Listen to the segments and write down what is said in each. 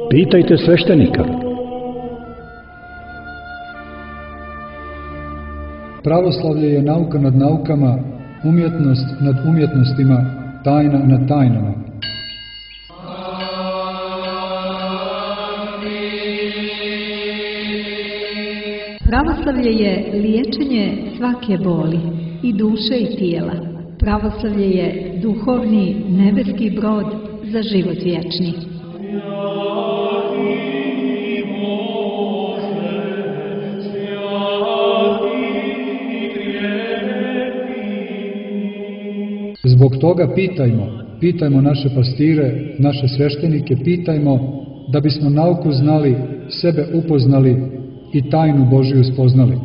Pitajte sveštenika. Pravoslavlje je nauka nad naukama, umjetnost nad umjetnostima, tajna nad tajnama. Pravoslavlje je liječenje svake boli, i duše i tijela. Pravoslavlje je duhovni nebeski brod za život vječni. Zbog toga pitajmo naše pastire, naše sveštenike, pitajmo da bismo nauku znali, sebe upoznali i tajnu Božiju spoznali.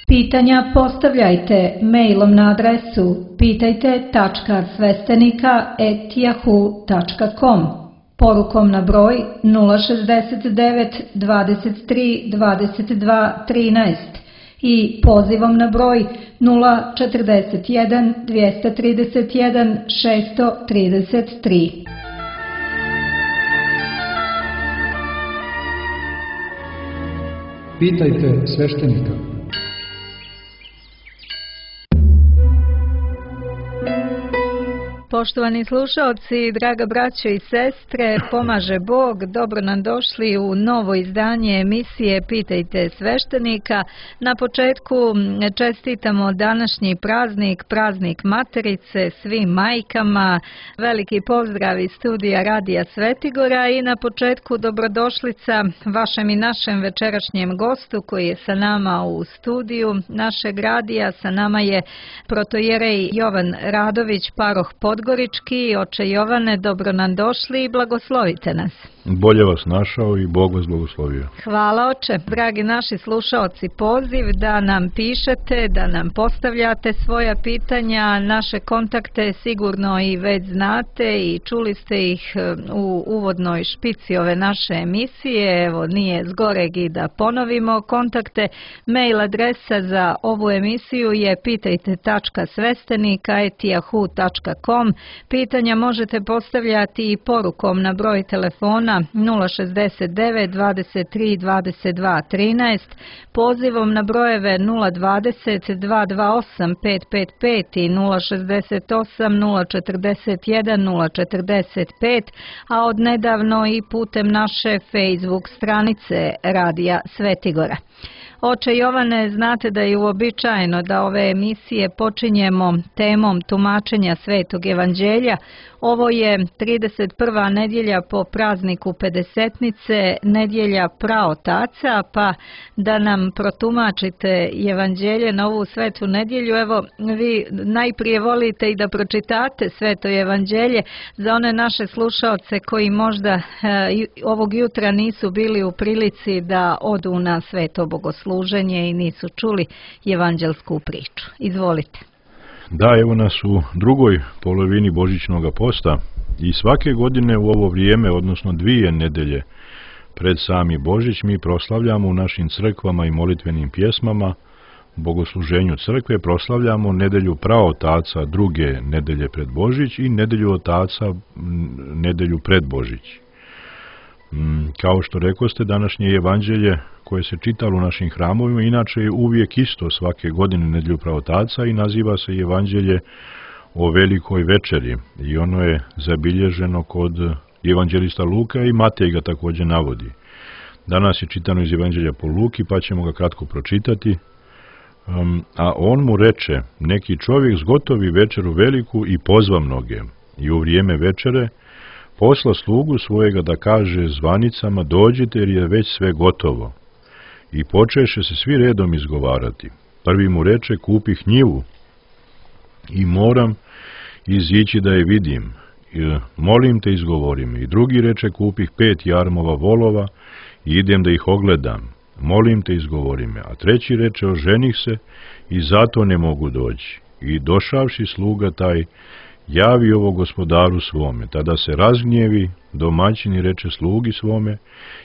Pitanja postavljajte mailom na adresu pitajte.svestenika@yahoo.com, porukom na broj 069 23 22 13 i pozivom na broj 041 231 633. Pitajte sveštenika. Poštovani slušalci, draga braćo i sestre, pomaže Bog, dobro nam došli u novo izdanje emisije Pitajte sveštenika. Na početku čestitamo današnji praznik Materice svim majkama, veliki pozdrav iz studija Radija Svetigora i na početku dobrodošlica vašem i našem večerašnjem gostu koji je sa nama u studiju našeg radija. Sa nama je protojerej Jovan Radović, paroh Podgorički. Oče Jovane, dobro nam došli i blagoslovite nas. Bolje vas našao i Bog vas blagoslovio. Hvala, oče. Dragi naši slušaoci, poziv da nam pišete, da nam postavljate svoja pitanja. Naše kontakte sigurno i već znate i čuli ste ih u uvodnoj špici ove naše emisije. Evo, nije zgoreg i da ponovimo kontakte. Mail adresa za ovu emisiju je pitajte.svestenika@yahoo.com. Pitanja možete postavljati i porukom na broj telefona 069 23 22 13, pozivom na brojeve 020 228 555 i 068 041 045, a od nedavno i putem naše Facebook stranice Radija Svetigora. Oče Jovane, znate da je uobičajeno da ove emisije počinjemo temom tumačenja Svetog Evanđelja. Ovo je 31. nedjelja po prazniku Pedesetnice, nedjelja praotaca, pa da nam protumačite Evanđelje na ovu svetu nedjelju. Evo, vi najprije volite i da pročitate Sveto Evanđelje za one naše slušaoce koji možda ovog jutra nisu bili u prilici da odu na sveto bogosluženje i nisu čuli evanđelsku priču. Izvolite. Da, evo nas u drugoj polovini Božićnog posta i svake godine u ovo vrijeme, odnosno 2 nedelje pred sami Božić, mi proslavljamo u našim crkvama i molitvenim pjesmama, bogosluženju crkve, proslavljamo nedelju praotaca 2. nedelje pred Božić i nedelju otaca nedelju pred Božić. Kao što rekoste, današnje evanđelje koje se čitalo u našim hramovima, inače je uvijek isto svake godine nedelju praotaca i naziva se evanđelje o velikoj večeri i ono je zabilježeno kod evanđelista Luka i Matej ga također navodi. Danas je čitano iz evanđelja po Luki, pa ćemo ga kratko pročitati. A on mu reče, neki čovjek zgotovi večeru veliku i pozva mnoge. I u vrijeme večere posla slugu svojega da kaže zvanicama, dođite jer je već sve gotovo. I počeše se svi redom izgovarati. Prvi mu reče, kupih njivu i moram izići da je vidim. Molim te, izgovori mi. I drugi reče, kupih 5 jarmova volova i idem da ih ogledam. Molim te, izgovori me. A treći reče, oženih se i zato ne mogu doći. I došavši sluga taj javi ovo gospodaru svome, tada se razgnjevi, domaćin i reče slugi svome,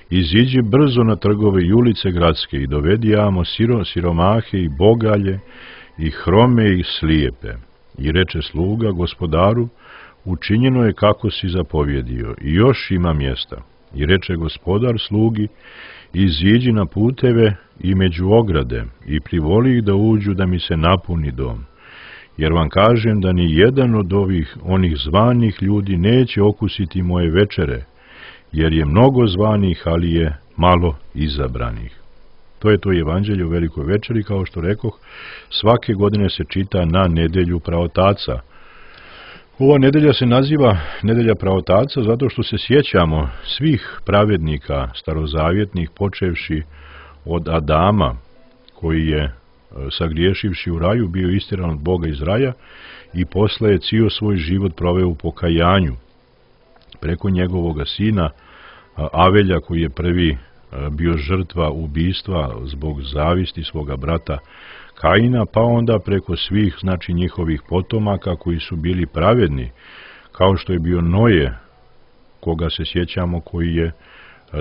iziđi brzo na trgove i ulice gradske i dovedi jamo siromahe i bogalje, i hrome i slijepe. I reče sluga gospodaru, učinjeno je kako si zapovjedio, i još ima mjesta. I reče gospodar slugi, iziđi na puteve i među ograde, i privoli ih da uđu da mi se napuni dom. Jer vam kažem da ni jedan od onih zvanih ljudi neće okusiti moje večere, jer je mnogo zvanih, ali je malo izabranih. To je to evanđelje u Velikoj večeri, kao što rekoh, svake godine se čita na nedelju Praotaca. Ova nedelja se naziva nedelja Praotaca zato što se sjećamo svih pravednika starozavjetnih, počevši od Adama, koji je sagriješivši u raju bio istjeran od Boga iz raja i posle je cijel svoj život proveo u pokajanju preko njegovoga sina Avelja, koji je prvi bio žrtva ubistva zbog zavisti svoga brata Kaina, pa onda preko svih, znači, njihovih potomaka koji su bili pravedni, kao što je bio Noje, koga se sjećamo, koji je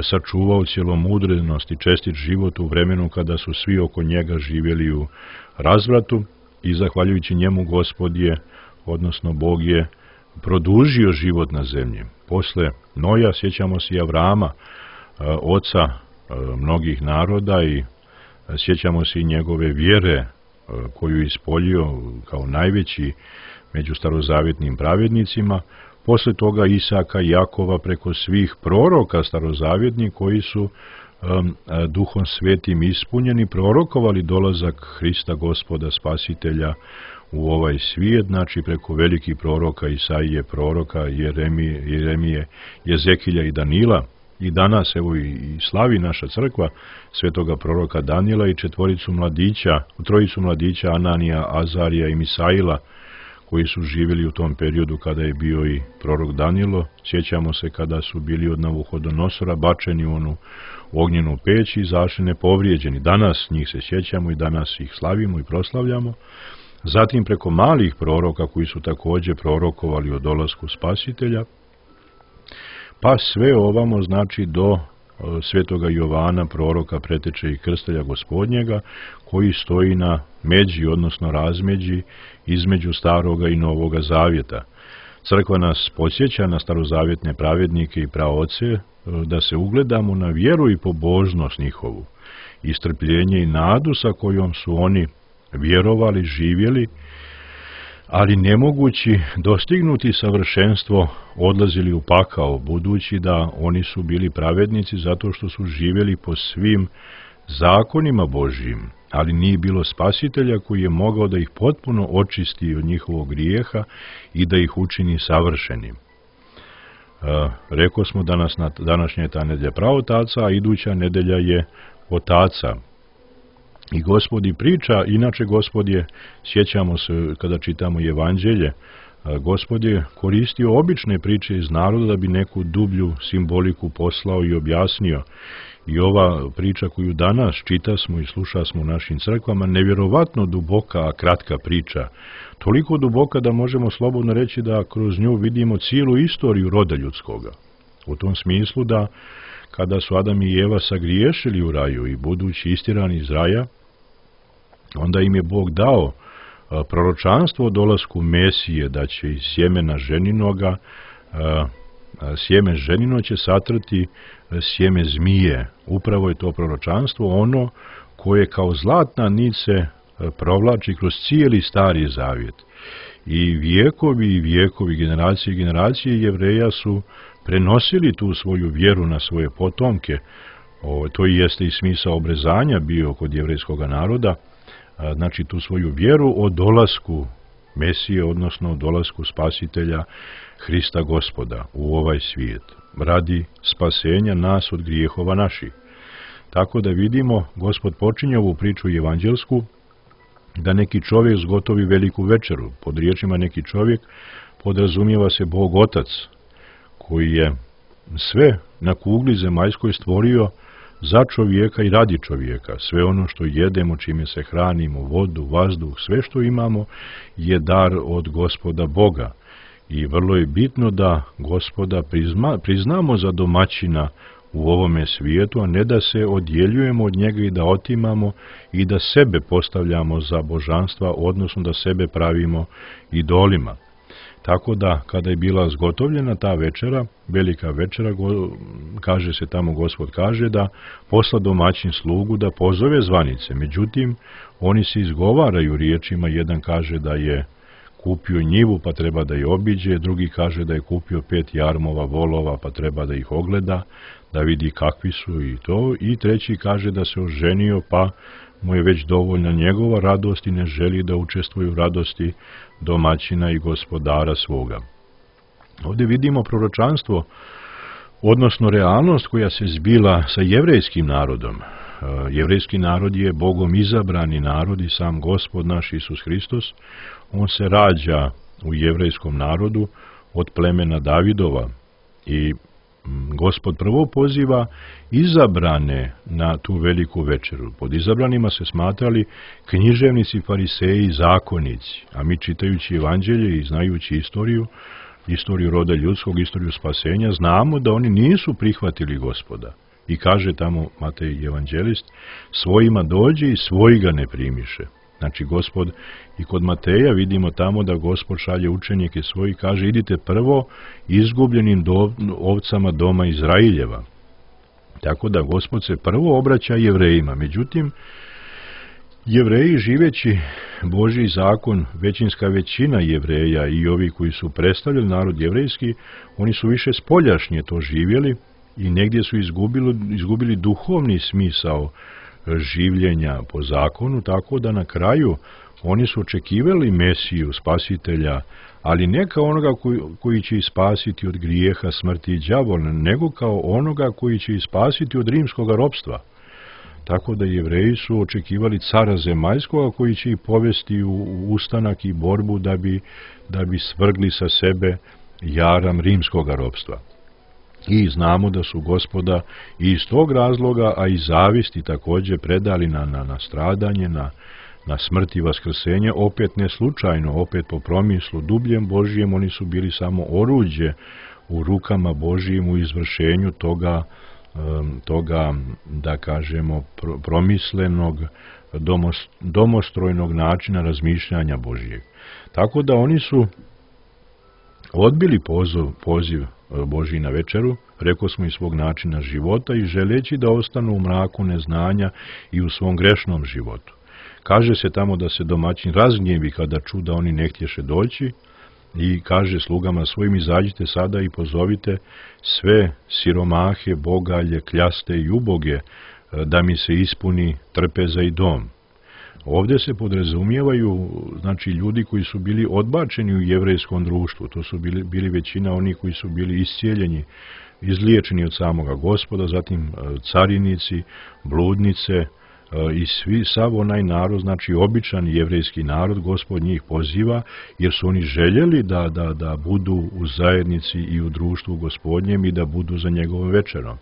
sačuvao cjelomudrenost i čestit život u vremenu kada su svi oko njega živjeli u razvratu, i zahvaljujući njemu Gospod je, odnosno Bog je, produžio život na zemlji. Posle Noja sjećamo se i Avrama, oca mnogih naroda, i sjećamo se i njegove vjere koju je ispoljio kao najveći među starozavjetnim pravednicima. Posle toga Isaka i Jakova, preko svih proroka starozavjetnih koji su Duhom Svetim ispunjeni, prorokovali dolazak Hrista Gospoda Spasitelja u ovaj svijet, znači preko velikih proroka Isaije, proroka Jeremije, Jezekilja i Danila. I danas, evo, i slavi naša crkva svetoga proroka Danila i trojicu mladića Ananija, Azarija i Misaila, koji su živjeli u tom periodu kada je bio i prorok Danilo. Sjećamo se kada su bili od Navuhodonosora bačeni u onu ognjenu peć i izašli nepovrijeđeni. Danas njih se sjećamo i danas ih slavimo i proslavljamo. Zatim preko malih proroka koji su također prorokovali o dolasku Spasitelja, pa sve ovamo, znači, do svetoga Jovana, proroka, preteče i krstelja Gospodnjega, koji stoji na međi, odnosno razmeđi između Staroga i Novoga Zavjeta. Crkva nas podsjeća na starozavjetne pravednike i praoce, da se ugledamo na vjeru i pobožnost njihovu, i strpljenje i nadu sa kojom su oni vjerovali, živjeli, ali ne mogući dostignuti savršenstvo odlazili u pakao, budući da oni su bili pravednici zato što su živjeli po svim zakonima Božjim, ali nije bilo Spasitelja koji je mogao da ih potpuno očisti od njihovog grijeha i da ih učini savršenim. Rekao smo današnja je ta nedelja Praotaca, a iduća nedelja je Otaca. I Gospod i priča, inače Gospod je, sjećamo se kada čitamo Evanđelje, Gospod je koristio obične priče iz naroda da bi neku dublju simboliku poslao i objasnio. I ova priča koju danas čitasmo i slušasmo u našim crkvama, nevjerovatno duboka, a kratka priča. Toliko duboka da možemo slobodno reći da kroz nju vidimo cijelu istoriju roda ljudskoga. U tom smislu da kada su Adam i Eva sagriješili u raju i budući istirani iz raja, onda im je Bog dao proročanstvo o dolasku Mesije, da će iz sjemena ženinoga, sjeme ženino će satrti sjeme zmije. Upravo je to proročanstvo ono koje kao zlatna nit se provlači kroz cijeli Stari Zavjet. I vijekovi, generacije i generacije Jevreja su prenosili tu svoju vjeru na svoje potomke. To i jeste i smisao obrezanja bio kod jevrejskog naroda, znači tu svoju vjeru o dolasku Mesije, odnosno o dolasku Spasitelja Hrista Gospoda u ovaj svijet, radi spasenja nas od grijehova naših. Tako da vidimo, Gospod počinje ovu priču evanđelsku, da neki čovjek zgotovi veliku večeru. Pod riječima neki čovjek podrazumijeva se Bog Otac, koji je sve na kugli zemaljskoj stvorio za čovjeka i radi čovjeka. Sve ono što jedemo, čime se hranimo, vodu, vazduh, sve što imamo je dar od Gospoda Boga. I vrlo je bitno da Gospoda priznamo za domaćina u ovome svijetu, a ne da se odjeljujemo od njega i da otimamo i da sebe postavljamo za božanstva, odnosno da sebe pravimo idolima. Tako da, kada je bila zgotovljena ta večera, velika večera, kaže se tamo, Gospod kaže da posla domaćin slugu da pozove zvanice. Međutim, oni se izgovaraju riječima, jedan kaže da je kupio njivu pa treba da je obiđe, drugi kaže da je kupio 5 jarmova volova pa treba da ih ogleda, da vidi kakvi su i to, i treći kaže da se oženio pa mu je već dovoljna njegova radost i ne želi da učestvuje u radosti domaćina i gospodara svoga. Ovdje vidimo proročanstvo, odnosno realnost koja se zbila sa jevrejskim narodom. Jevrejski narod je Bogom izabrani narod i sam Gospod naš Isus Hristos, on se rađa u jevrejskom narodu od plemena Davidova i Gospod prvo poziva izabrane na tu veliku večeru. Pod izabranima se smatrali književnici, fariseji i zakonici, a mi čitajući evanđelje i znajući istoriju roda ljudskog, istoriju spasenja, znamo da oni nisu prihvatili Gospoda. I kaže tamo Matej evanđelist, svojima dođe i svoji ga ne primiše. Znači Gospod i kod Mateja vidimo tamo da Gospod šalje učenike svoji, kaže idite prvo izgubljenim ovcama doma Izraeljeva. Tako da Gospod se prvo obraća Jevrejima. Međutim, Jevreji živeći Božji zakon, većinska većina Jevreja i ovi koji su predstavljali narod jevrejski, oni su više spoljašnje to živjeli i negdje su izgubili duhovni smisao življenja po zakonu, tako da na kraju oni su očekivali Mesiju, spasitelja, ali ne kao onoga koji će ih spasiti od grijeha, smrti i đavola, nego kao onoga koji će ih spasiti od rimskog ropstva. Tako da Jevreji su očekivali cara zemaljskoga koji će ih povesti u ustanak i borbu da bi svrgli sa sebe jaram rimskog ropstva. I znamo da su Gospoda i iz tog razloga, a i zavisti također predali na stradanje, na smrt i vaskrsenje, opet ne slučajno, opet po promislu dubljem Božijem, oni su bili samo oruđe u rukama Božijim u izvršenju toga da kažemo, promislenog, domostrojnog načina razmišljanja Božijeg. Tako da oni su odbili poziv Božji na večeru, rekao smo, iz svog načina života i želeći da ostanu u mraku neznanja i u svom grešnom životu. Kaže se tamo da se domaćin razgnjevi kada ču da oni ne htješe doći i kaže slugama svojim, izađite sada i pozovite sve siromahe, bogalje, kljaste i uboge da mi se ispuni trpeza i dom. Ovdje se podrazumijevaju, znači, ljudi koji su bili odbačeni u jevrejskom društvu. To su bili većina onih koji su bili iscijeljeni, izliječeni od samoga Gospoda, zatim carinici, bludnice i sav onaj narod, znači običan jevrejski narod. Gospod njih poziva jer su oni željeli da budu u zajednici i u društvu Gospodnjem i da budu za njegovom večerom.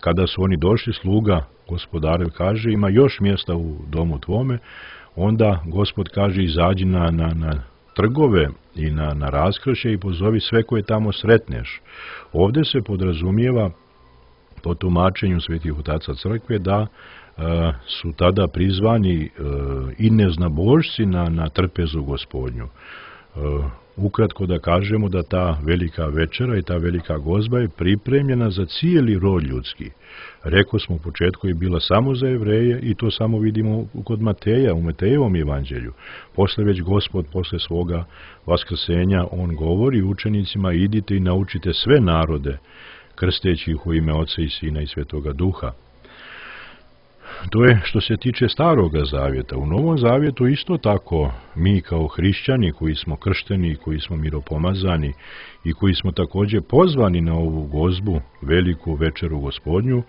Kada su oni došli, sluga Gospodarev kaže, ima još mjesta u domu tvome, onda Gospod kaže, izađi na trgove i na raskršće i pozovi sve koje tamo sretneš. Ovdje se podrazumijeva po tumačenju svetih otaca crkve da su tada prizvani i neznabožci na trpezu Gospodnju. Ukratko da kažemo da ta velika večera i ta velika gozba je pripremljena za cijeli rod ljudski. Rekao smo u početku je bila samo za Jevreje i to samo vidimo kod Mateja, u Matejevom evanđelju. Posle već Gospod, posle svoga vaskrsenja, on govori učenicima, idite i naučite sve narode, krsteći ih u ime Oca i Sina i Svetoga Duha. To je što se tiče Staroga zavjeta. U Novom zavjetu isto tako mi kao hrišćani koji smo kršteni, koji smo miropomazani i koji smo također pozvani na ovu gozbu, veliku večeru Gospodnju,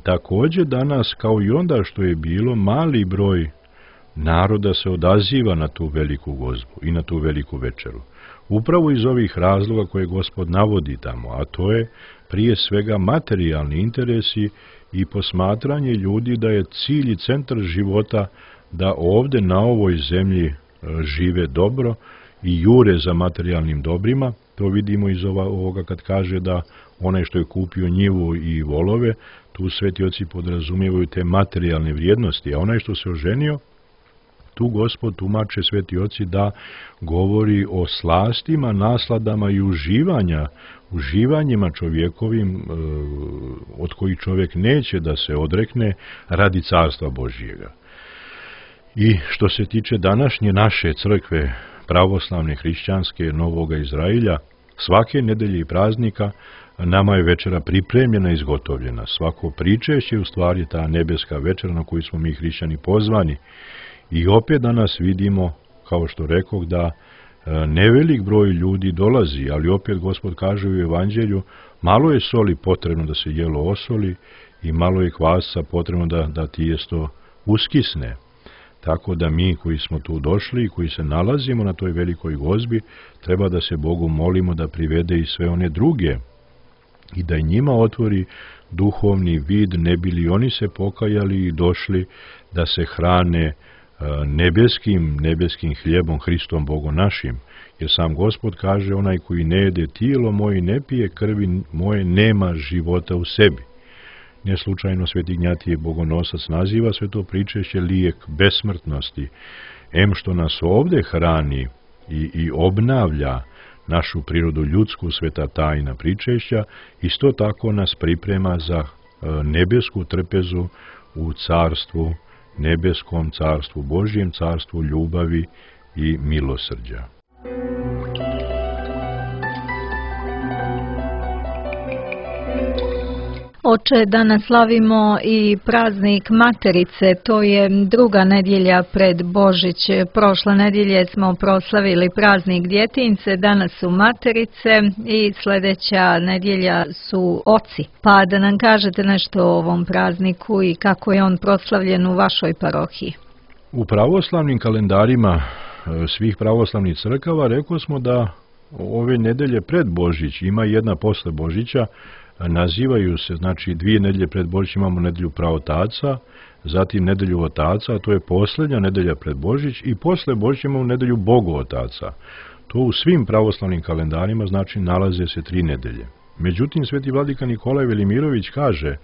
također danas, kao i onda što je bilo, mali broj naroda se odaziva na tu veliku gozbu i na tu veliku večeru. Upravo iz ovih razloga koje Gospod navodi tamo, a to je prije svega materijalni interesi i posmatranje ljudi da je cilj i centar života da ovdje na ovoj zemlji žive dobro i jure za materijalnim dobrima. To vidimo iz ovoga kad kaže da onaj što je kupio njivu i volove, tu sveti oci podrazumijevaju te materijalne vrijednosti, a onaj što se oženio, tu Gospod tumače sveti oci da govori o slastima, nasladama i uživanjima čovjekovim od kojih čovjek neće da se odrekne radi carstva Božjega. I što se tiče današnje naše crkve pravoslavne, hrišćanske, Novoga Izrailja, svake nedelje i praznika nama je večera pripremljena i izgotovljena. Svako pričešće je u stvari ta nebeska večera na koju smo mi hrišćani pozvani. I opet danas vidimo, kao što rekoh, da nevelik broj ljudi dolazi, ali opet Gospod kaže u Evanđelju, malo je soli potrebno da se jelo osoli i malo je kvasca potrebno da tijesto uskisne. Tako da mi koji smo tu došli i koji se nalazimo na toj velikoj gozbi, treba da se Bogu molimo da privede i sve one druge i da i njima otvori duhovni vid, ne bi li oni se pokajali i došli da se hrane nebeskim hljebom, Hristom Bogom našim. Jer sam Gospod kaže, onaj koji ne jede tijelo moje, ne pije krvi moje, nema života u sebi. Ne slučajno sveti Ignjatije Bogonosac naziva sve to pričešće lijek besmrtnosti. Em što nas ovdje hrani i obnavlja našu prirodu ljudsku, sveta tajna pričešća, isto tako nas priprema za nebesku trpezu u carstvu, nebeskom carstvu Božjem, carstvu ljubavi i milosrđa. Oče, danas slavimo i praznik Materice, to je druga nedjelja pred Božić. Prošle nedjelje smo proslavili praznik Djetinjce, danas su Materice i sljedeća nedjelja su Oci. Pa da nam kažete nešto o ovom prazniku i kako je on proslavljen u vašoj parohiji. U pravoslavnim kalendarima svih pravoslavnih crkava rekli smo da ove nedelje pred Božić, ima jedna posle Božića, nazivaju se, znači 2 nedjelje pred Božić imamo nedelju Pravotaca, zatim nedelju Otaca, to je posljednja nedelja pred Božić, i posle Božića imamo nedelju Bogu Otaca. To u svim pravoslavnim kalendarima znači nalaze se 3 nedelje. Međutim, sveti vladika Nikolaj Velimirović kaže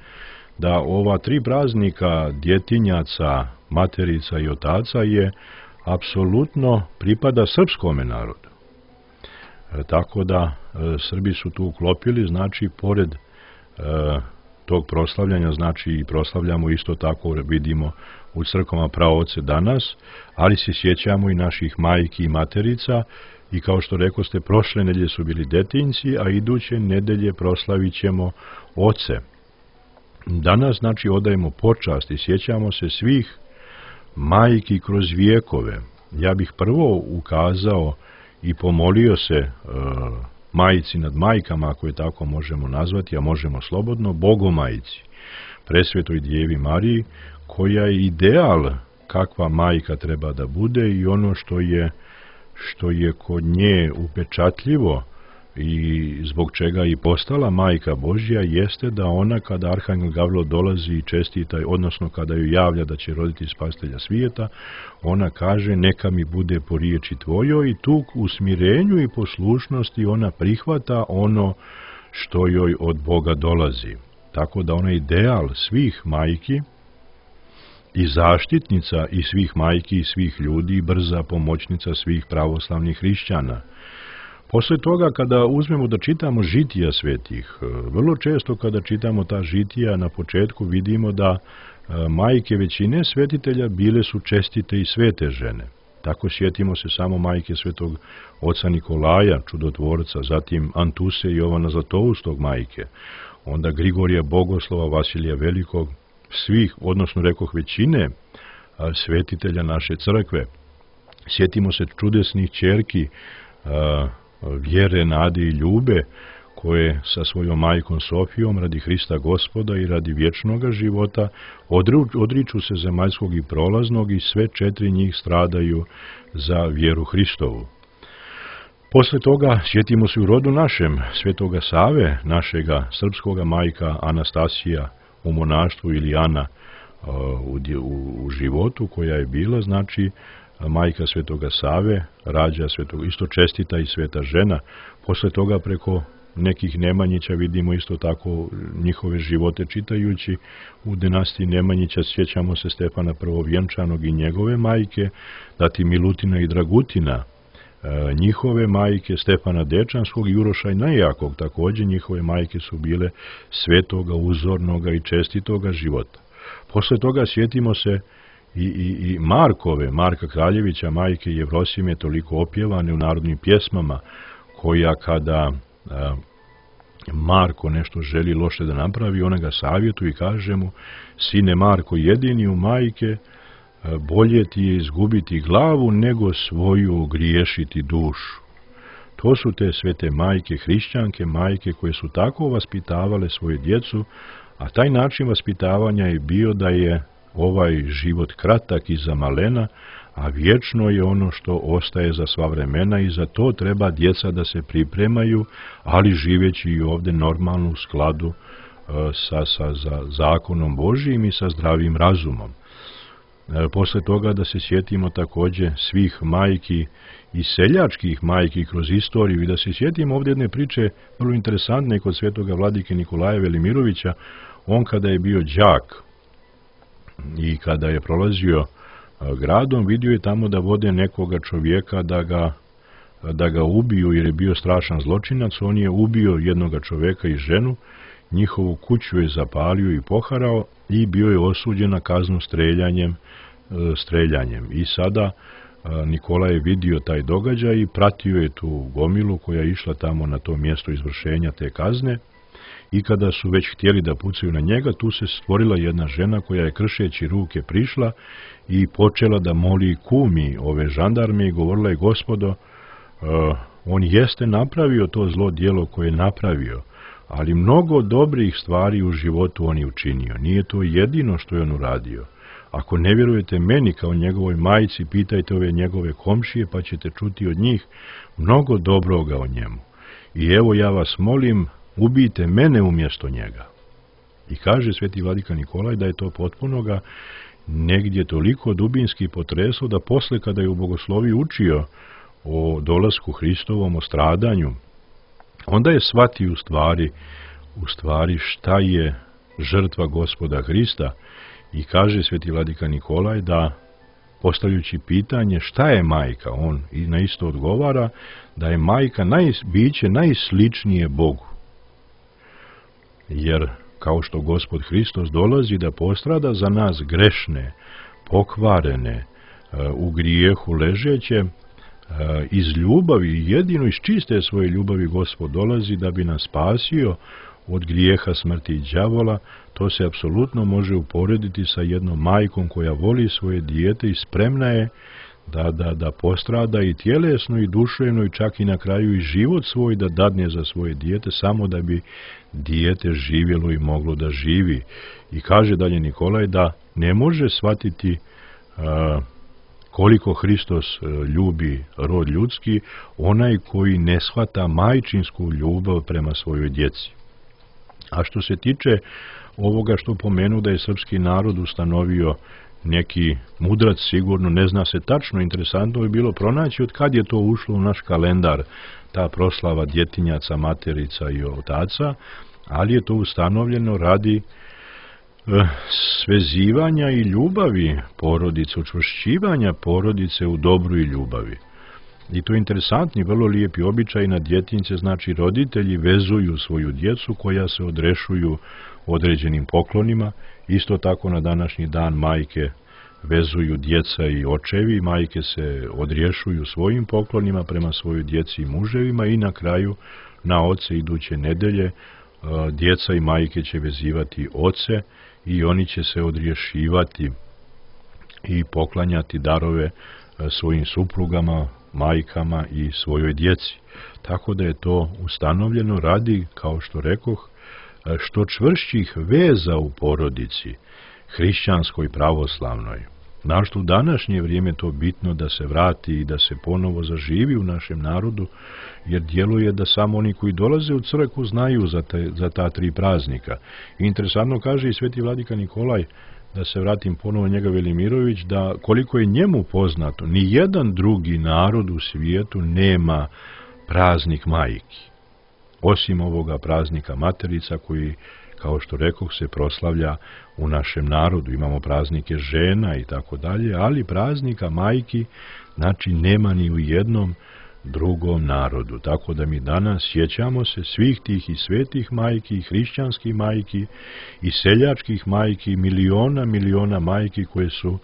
da ova 3 praznika Djetinjaca, Materica i Otaca je apsolutno pripada srpskome narodu. Tako da Srbi su tu uklopili, znači pored tog proslavljanja, znači i proslavljamo isto tako, vidimo u crkvama praoce danas, ali se sjećamo i naših majki i materica, i kao što rekoste, prošle nedelje su bili Detinjci, a iduće nedelje proslavit ćemo oce. Danas, znači, odajemo počast i sjećamo se svih majki kroz vijekove. Ja bih prvo ukazao i pomolio se majici nad majkama, ako je tako možemo nazvati, a možemo slobodno, Bogomajici, presvetoj Djevi Mariji, koja je ideal kakva majka treba da bude i ono što je kod nje upečatljivo i zbog čega i postala majka Božja, jeste da ona kada Arhangel Gavrilo dolazi i čestita, odnosno kada ju javlja da će roditi Spasitelja svijeta, ona kaže neka mi bude po riječi tvojoj, i tu u smirenju i poslušnosti ona prihvata ono što joj od Boga dolazi. Tako da ona ideal svih majki i zaštitnica i svih majki i svih ljudi, brza pomoćnica svih pravoslavnih hrišćana. Posle toga, kada uzmemo da čitamo žitija svetih, vrlo često kada čitamo ta žitija, na početku vidimo da majke većine svetitelja bile su čestite i svete žene. Tako sjetimo se samo majke svetog oca Nikolaja, čudotvorca, zatim Antuse i Jovana Zlatoustog majke, onda Grigorija Bogoslova, Vasilija Velikog, svih, odnosno rekoh većine svetitelja naše crkve. Sjetimo se čudesnih ćerki Vjere, Nade i Ljube, koje sa svojom majkom Sofijom radi Hrista Gospoda i radi vječnoga života odriču se zemaljskog i prolaznog, i sve 4 njih stradaju za vjeru Hristovu. Posle toga sjetimo se u rodu našem svetoga Save, našega srpskoga majka Anastasija u monaštvu ili Ana u životu, koja je bila, znači, majka Svetoga Save, rađa isto čestita i sveta žena. Posle toga preko nekih Nemanjića vidimo isto tako njihove živote čitajući. U dinastiji Nemanjića sjećamo se Stefana Prvovjenčanog i njegove majke, zatim Milutina i Dragutina, njihove majke, Stefana Dečanskog i Uroša i Najjakog, također njihove majke su bile svetoga, uzornoga i čestitoga života. Posle toga sjetimo se i Marka Kraljevića, majke Jevrosime, toliko opjevane u narodnim pjesmama, koja kada Marko nešto želi loše da napravi, ona ga savjetuje i kaže mu: sine Marko, jedini u majke, bolje ti je izgubiti glavu nego svoju griješiti dušu. To su te svete majke, hrišćanke, majke koje su tako vaspitavale svoje djecu, a taj način vaspitavanja je bio da je ovaj život kratak i zamalena, a vječno je ono što ostaje za sva vremena i za to treba djeca da se pripremaju, ali živeći i ovdje normalno u skladu sa zakonom Božijim i sa zdravim razumom. Posle toga da se sjetimo također svih majki i seljačkih majki kroz istoriju i da se sjetimo ovdje jedne priče vrlo interesantne kod svetoga vladike Nikolaja Velimirovića. On kada je bio đak i kada je prolazio gradom, vidio je tamo da vode nekoga čovjeka da ga ubiju jer je bio strašan zločinac. On je ubio jednoga čovjeka i ženu, njihovu kuću je zapalio i poharao i bio je osuđen na kaznu streljanjem. I sada Nikola je vidio taj događaj i pratio je tu gomilu koja je išla tamo na to mjesto izvršenja te kazne. I kada su već htjeli da pucaju na njega, tu se stvorila jedna žena koja je kršeći ruke prišla i počela da moli kumi ove žandarme i govorila je: gospodo, on jeste napravio to zlo djelo koje je napravio, ali mnogo dobrih stvari u životu on je učinio. Nije to jedino što je on uradio. Ako ne vjerujete meni kao njegovoj majci, pitajte ove njegove komšije pa ćete čuti od njih mnogo dobroga o njemu. I evo ja vas molim, ubijte mene umjesto njega. I kaže sveti vladika Nikolaj da je to potpuno ga negdje toliko dubinski potreslo da posle kada je u bogosloviji učio o dolasku Hristovom, o stradanju, onda je shvatio u stvari šta je žrtva Gospoda Hrista. I kaže sveti vladika Nikolaj da, postavljajući pitanje šta je majka, on i na isto odgovara da je majka biće najsličnije Bogu. Jer kao što Gospod Hristos dolazi da postrada za nas grešne, pokvarene, u grijehu ležeće, iz ljubavi, jedino iz čiste svoje ljubavi Gospod dolazi da bi nas spasio od grijeha, smrti i đavola. To se apsolutno može uporediti sa jednom majkom koja voli svoje dijete i spremna je da postrada i tjelesno i duševno i čak i na kraju i život svoj da dadne za svoje dijete, samo da bi dijete živjelo i moglo da živi. I kaže dalje Nikolaj da ne može shvatiti koliko Hristos ljubi rod ljudski onaj koji ne shvata majčinsku ljubav prema svojoj djeci. A što se tiče ovoga što pomenu da je srpski narod ustanovio neki mudrac, sigurno ne zna se tačno, interesantno je bilo pronaći od kad je to ušlo u naš kalendar, ta proslava djetinjaca, materica i otaca, ali je to ustanovljeno radi svezivanja i ljubavi porodice, učvršćivanja porodice u dobru i ljubavi. I to je interesantni, vrlo lijepi običaj na djetinjce, znači roditelji vezuju svoju djecu koja se odrešuju određenim poklonima. Isto tako na današnji dan majke vezuju djeca i očevi, majke se odrješuju svojim poklonima prema svojoj djeci i muževima i na kraju na oce iduće nedelje djeca i majke će vezivati oce i oni će se odrješivati i poklanjati darove svojim suprugama, majkama i svojoj djeci. Tako da je to ustanovljeno radi, kao što rekoh, što čvršćih veza u porodici, hrišćanskoj, pravoslavnoj. Našto u današnje vrijeme to bitno da se vrati i da se ponovo zaživi u našem narodu, jer djeluje da samo oni koji dolaze u crkvu znaju za ta tri praznika. I interesantno kaže i sveti vladika Nikolaj da se vratim ponovo njega Velimirović, da koliko je njemu poznato, ni jedan drugi narod u svijetu nema praznik majki, osim ovoga praznika materica koji, kao što rekoh, se proslavlja u našem narodu. Imamo praznike žena i tako dalje, ali praznika majki, znači, nema ni u jednom drugom narodu. Tako da mi danas sjećamo se svih tih i svetih majki, i hrišćanskih majki, i seljačkih majki, miliona majki koje su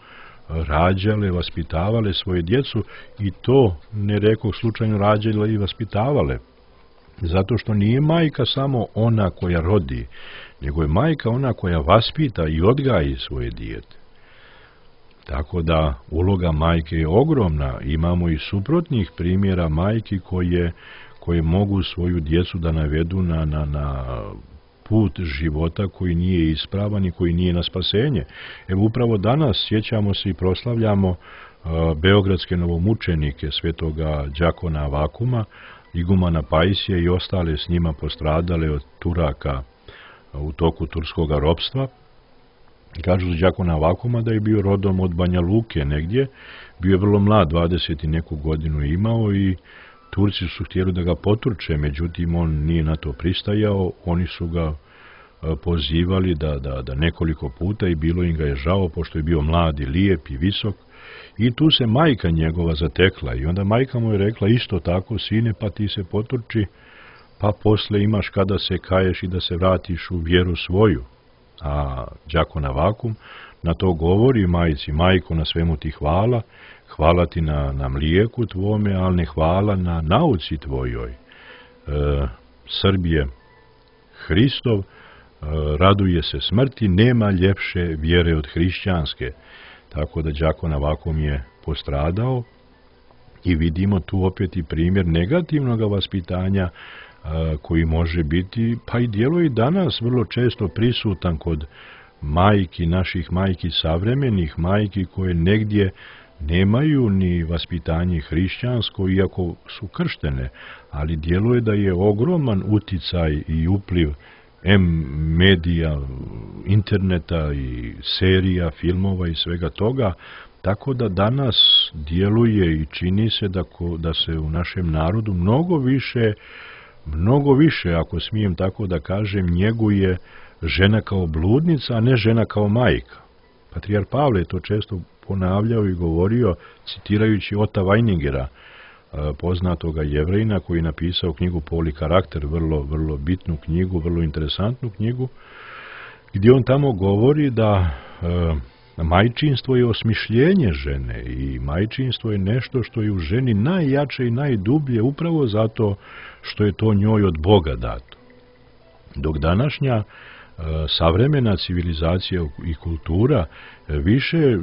rađale, vaspitavale svoje djecu, i to, ne rekoh slučajno, rađale i vaspitavale. Zato što nije majka samo ona koja rodi, nego je majka ona koja vaspita i odgaji svoje dijete. Tako da uloga majke je ogromna. Imamo i suprotnih primjera majki koje mogu svoju djecu da navedu na put života koji nije ispravan i koji nije na spasenje. Evo, upravo danas sjećamo se i proslavljamo beogradske novomučenike, svetoga đakona Avakuma, igumana Pajsija i ostale s njima postradale od Turaka u toku turskoga ropstva. Kažu za đakona Avakuma da je bio rodom od Banja Luke negdje, bio je vrlo mlad, 20 i neku godinu imao, i Turci su htjeli da ga poturče, međutim on nije na to pristajao. Oni su ga pozivali da nekoliko puta, i bilo im ga je žao, pošto je bio mlad i lijep i visok, i tu se majka njegova zatekla, i onda majka mu je rekla isto tako: sine, pa ti se poturči, pa posle imaš kada se kaješ i da se vratiš u vjeru svoju. A đakon Avakum na to govori majci: majko, na svemu ti hvala, hvala ti na mlijeku tvome, ali ne hvala na nauci tvojoj. Srbije Hristov, raduje se smrti, nema ljepše vjere od hrišćanske. Tako da đakon Avakum je postradao, i vidimo tu opet i primjer negativnog vaspitanja koji može biti, pa i djeluje danas vrlo često prisutan kod majki, naših majki, savremenih majki, koje negdje nemaju ni vaspitanje hrišćansko, iako su krštene, ali djeluje da je ogroman uticaj i upliv medija, interneta i serija, filmova i svega toga, tako da danas djeluje i čini se da se u našem narodu mnogo više, ako smijem tako da kažem, njeguje žena kao bludnica, a ne žena kao majka. Patrijar Pavle je to često ponavljao i govorio, citirajući Ota Vajningera, poznatoga Jevrejina, koji je napisao knjigu Poli karakter, vrlo bitnu knjigu, vrlo interesantnu knjigu, gdje on tamo govori da majčinstvo je osmišljenje žene, i majčinstvo je nešto što je u ženi najjače i najdublje, upravo zato što je to njoj od Boga dato. Dok današnja savremena civilizacija i kultura više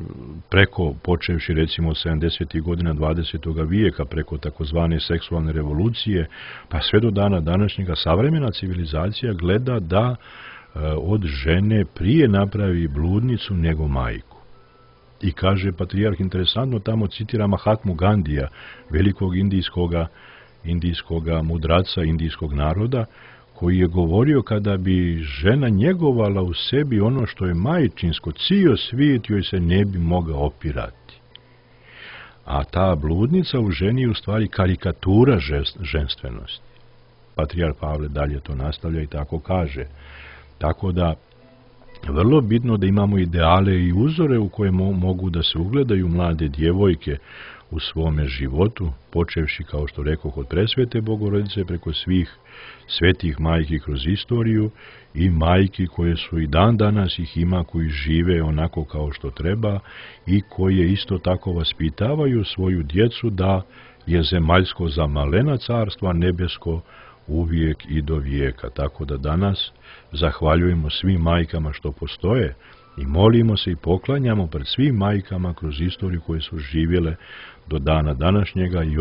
preko, počevši recimo od 70. godina 20. vijeka, preko takozvane seksualne revolucije, pa sve do dana današnjega, savremena civilizacija gleda da od žene prije napravi bludnicu nego majku. I kaže patrijarh, interesantno, tamo citira Mahatmu Gandija, velikog indijskoga mudraca, indijskog naroda, koji je govorio: kada bi žena njegovala u sebi ono što je majčinsko, cijel svijet joj se ne bi mogao opirati. A ta bludnica u ženi je u stvari karikatura ženstvenosti. Patrijarh Pavle dalje to nastavlja i tako kaže. Tako da, vrlo bitno da imamo ideale i uzore u koje mogu da se ugledaju mlade djevojke u svome životu, počevši, kao što rekoh, od presvete Bogorodice, preko svih svetih majki kroz istoriju, i majki koje su i dan danas ih ima, koji žive onako kao što treba i koje isto tako vaspitavaju svoju djecu da je zemaljsko za malena carstva, nebesko uvijek i do vijeka. Tako da danas zahvaljujemo svim majkama što postoje i molimo se i poklanjamo pred svim majkama kroz istoriju koje su živjele do dana današnjega i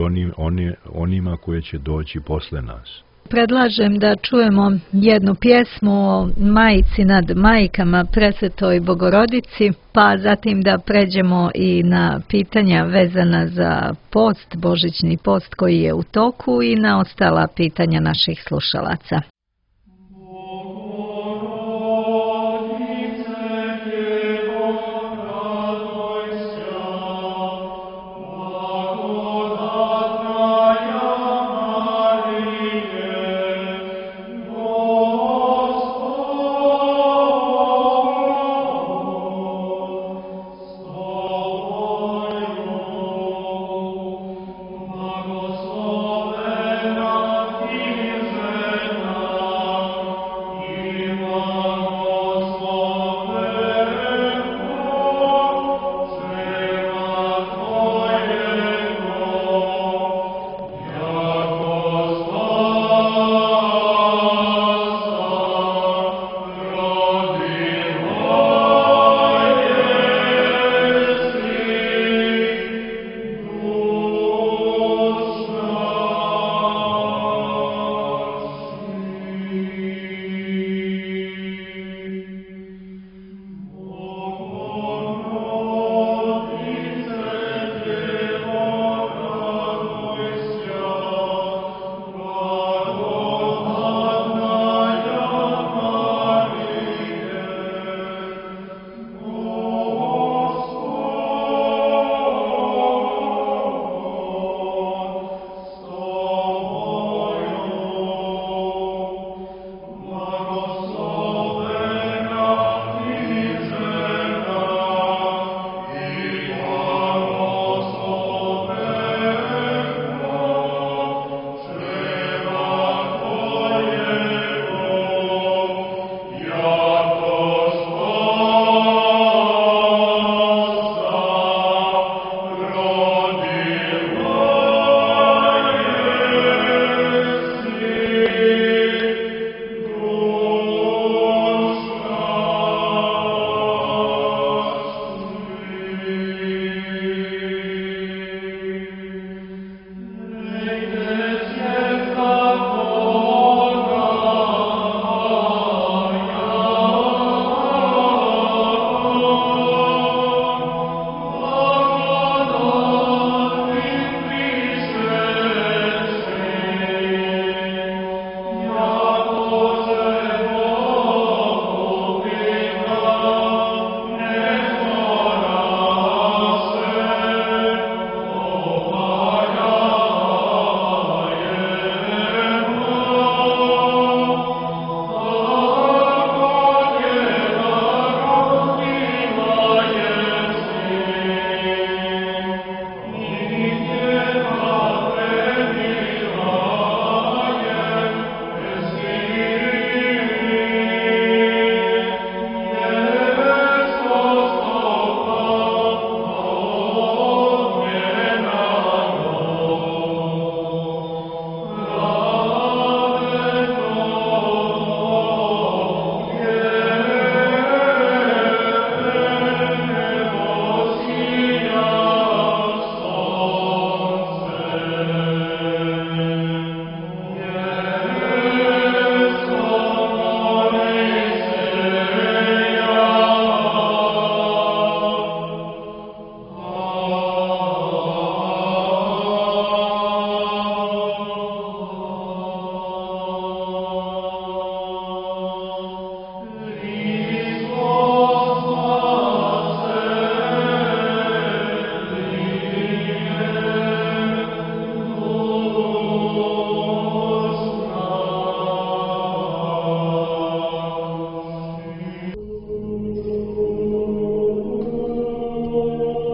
onima koje će doći posle nas. Predlažem da čujemo jednu pjesmu o majici nad majkama, presvetoj Bogorodici, pa zatim da pređemo i na pitanja vezana za post, božićni post koji je u toku, i na ostala pitanja naših slušalaca. Bogorodice, Djevo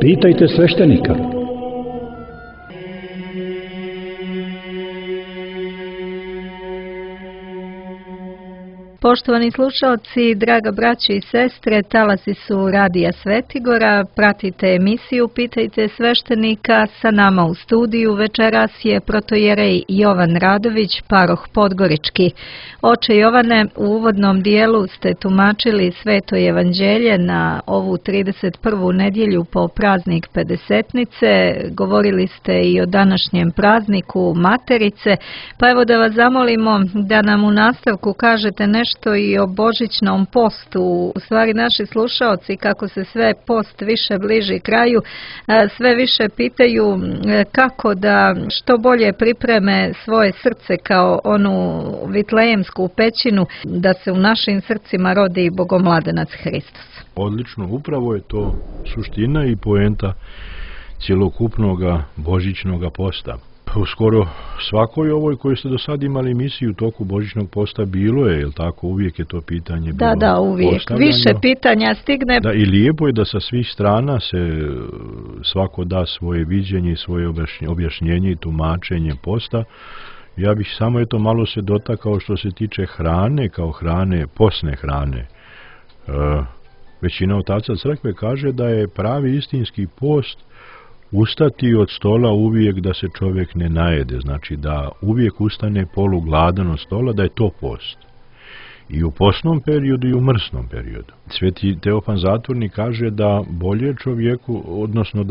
Pitajte sveštenika. Poštovani slušalci, draga braćo i sestre, talasi su Radija Svetigora, pratite emisiju Pitajte sveštenika, sa nama u studiju večeras je protojerej Jovan Radović, paroh Podgorički. Oče Jovane, u uvodnom dijelu ste tumačili Sveto evanđelje na ovu 31. nedjelju po praznik Pedesetnice, govorili ste i o današnjem prazniku Materice, pa evo da vas zamolimo da nam u nastavku kažete nešto i o božićnom postu. U stvari naši slušaoci, kako se sve post više bliži kraju, sve više pitaju kako da što bolje pripreme svoje srce kao onu vitlejemsku pećinu, da se u našim srcima rodi Bogomladenac Hristos. Odlično, upravo je to suština i poenta cjelokupnog božićnog posta. U skoro svakoj ovoj koji ste do sad imali emisiju u toku božićnog posta bilo je, jel tako, uvijek je to pitanje bilo Da, uvijek. Više pitanja stigne. Da, i lijepo je da sa svih strana se svako da svoje viđenje i svoje objašnjenje i tumačenje posta. Ja bih samo malo se dotakao što se tiče hrane, kao hrane, posne hrane. Većina otaca crkve kaže da je pravi istinski post ustati od stola uvijek da se čovjek ne najede, znači da uvijek ustane polugladan od stola, da je to post. I u postnom periodu i u mrsnom periodu. Sveti Teofan Zatvornik kaže da bolje čovjeku, odnosno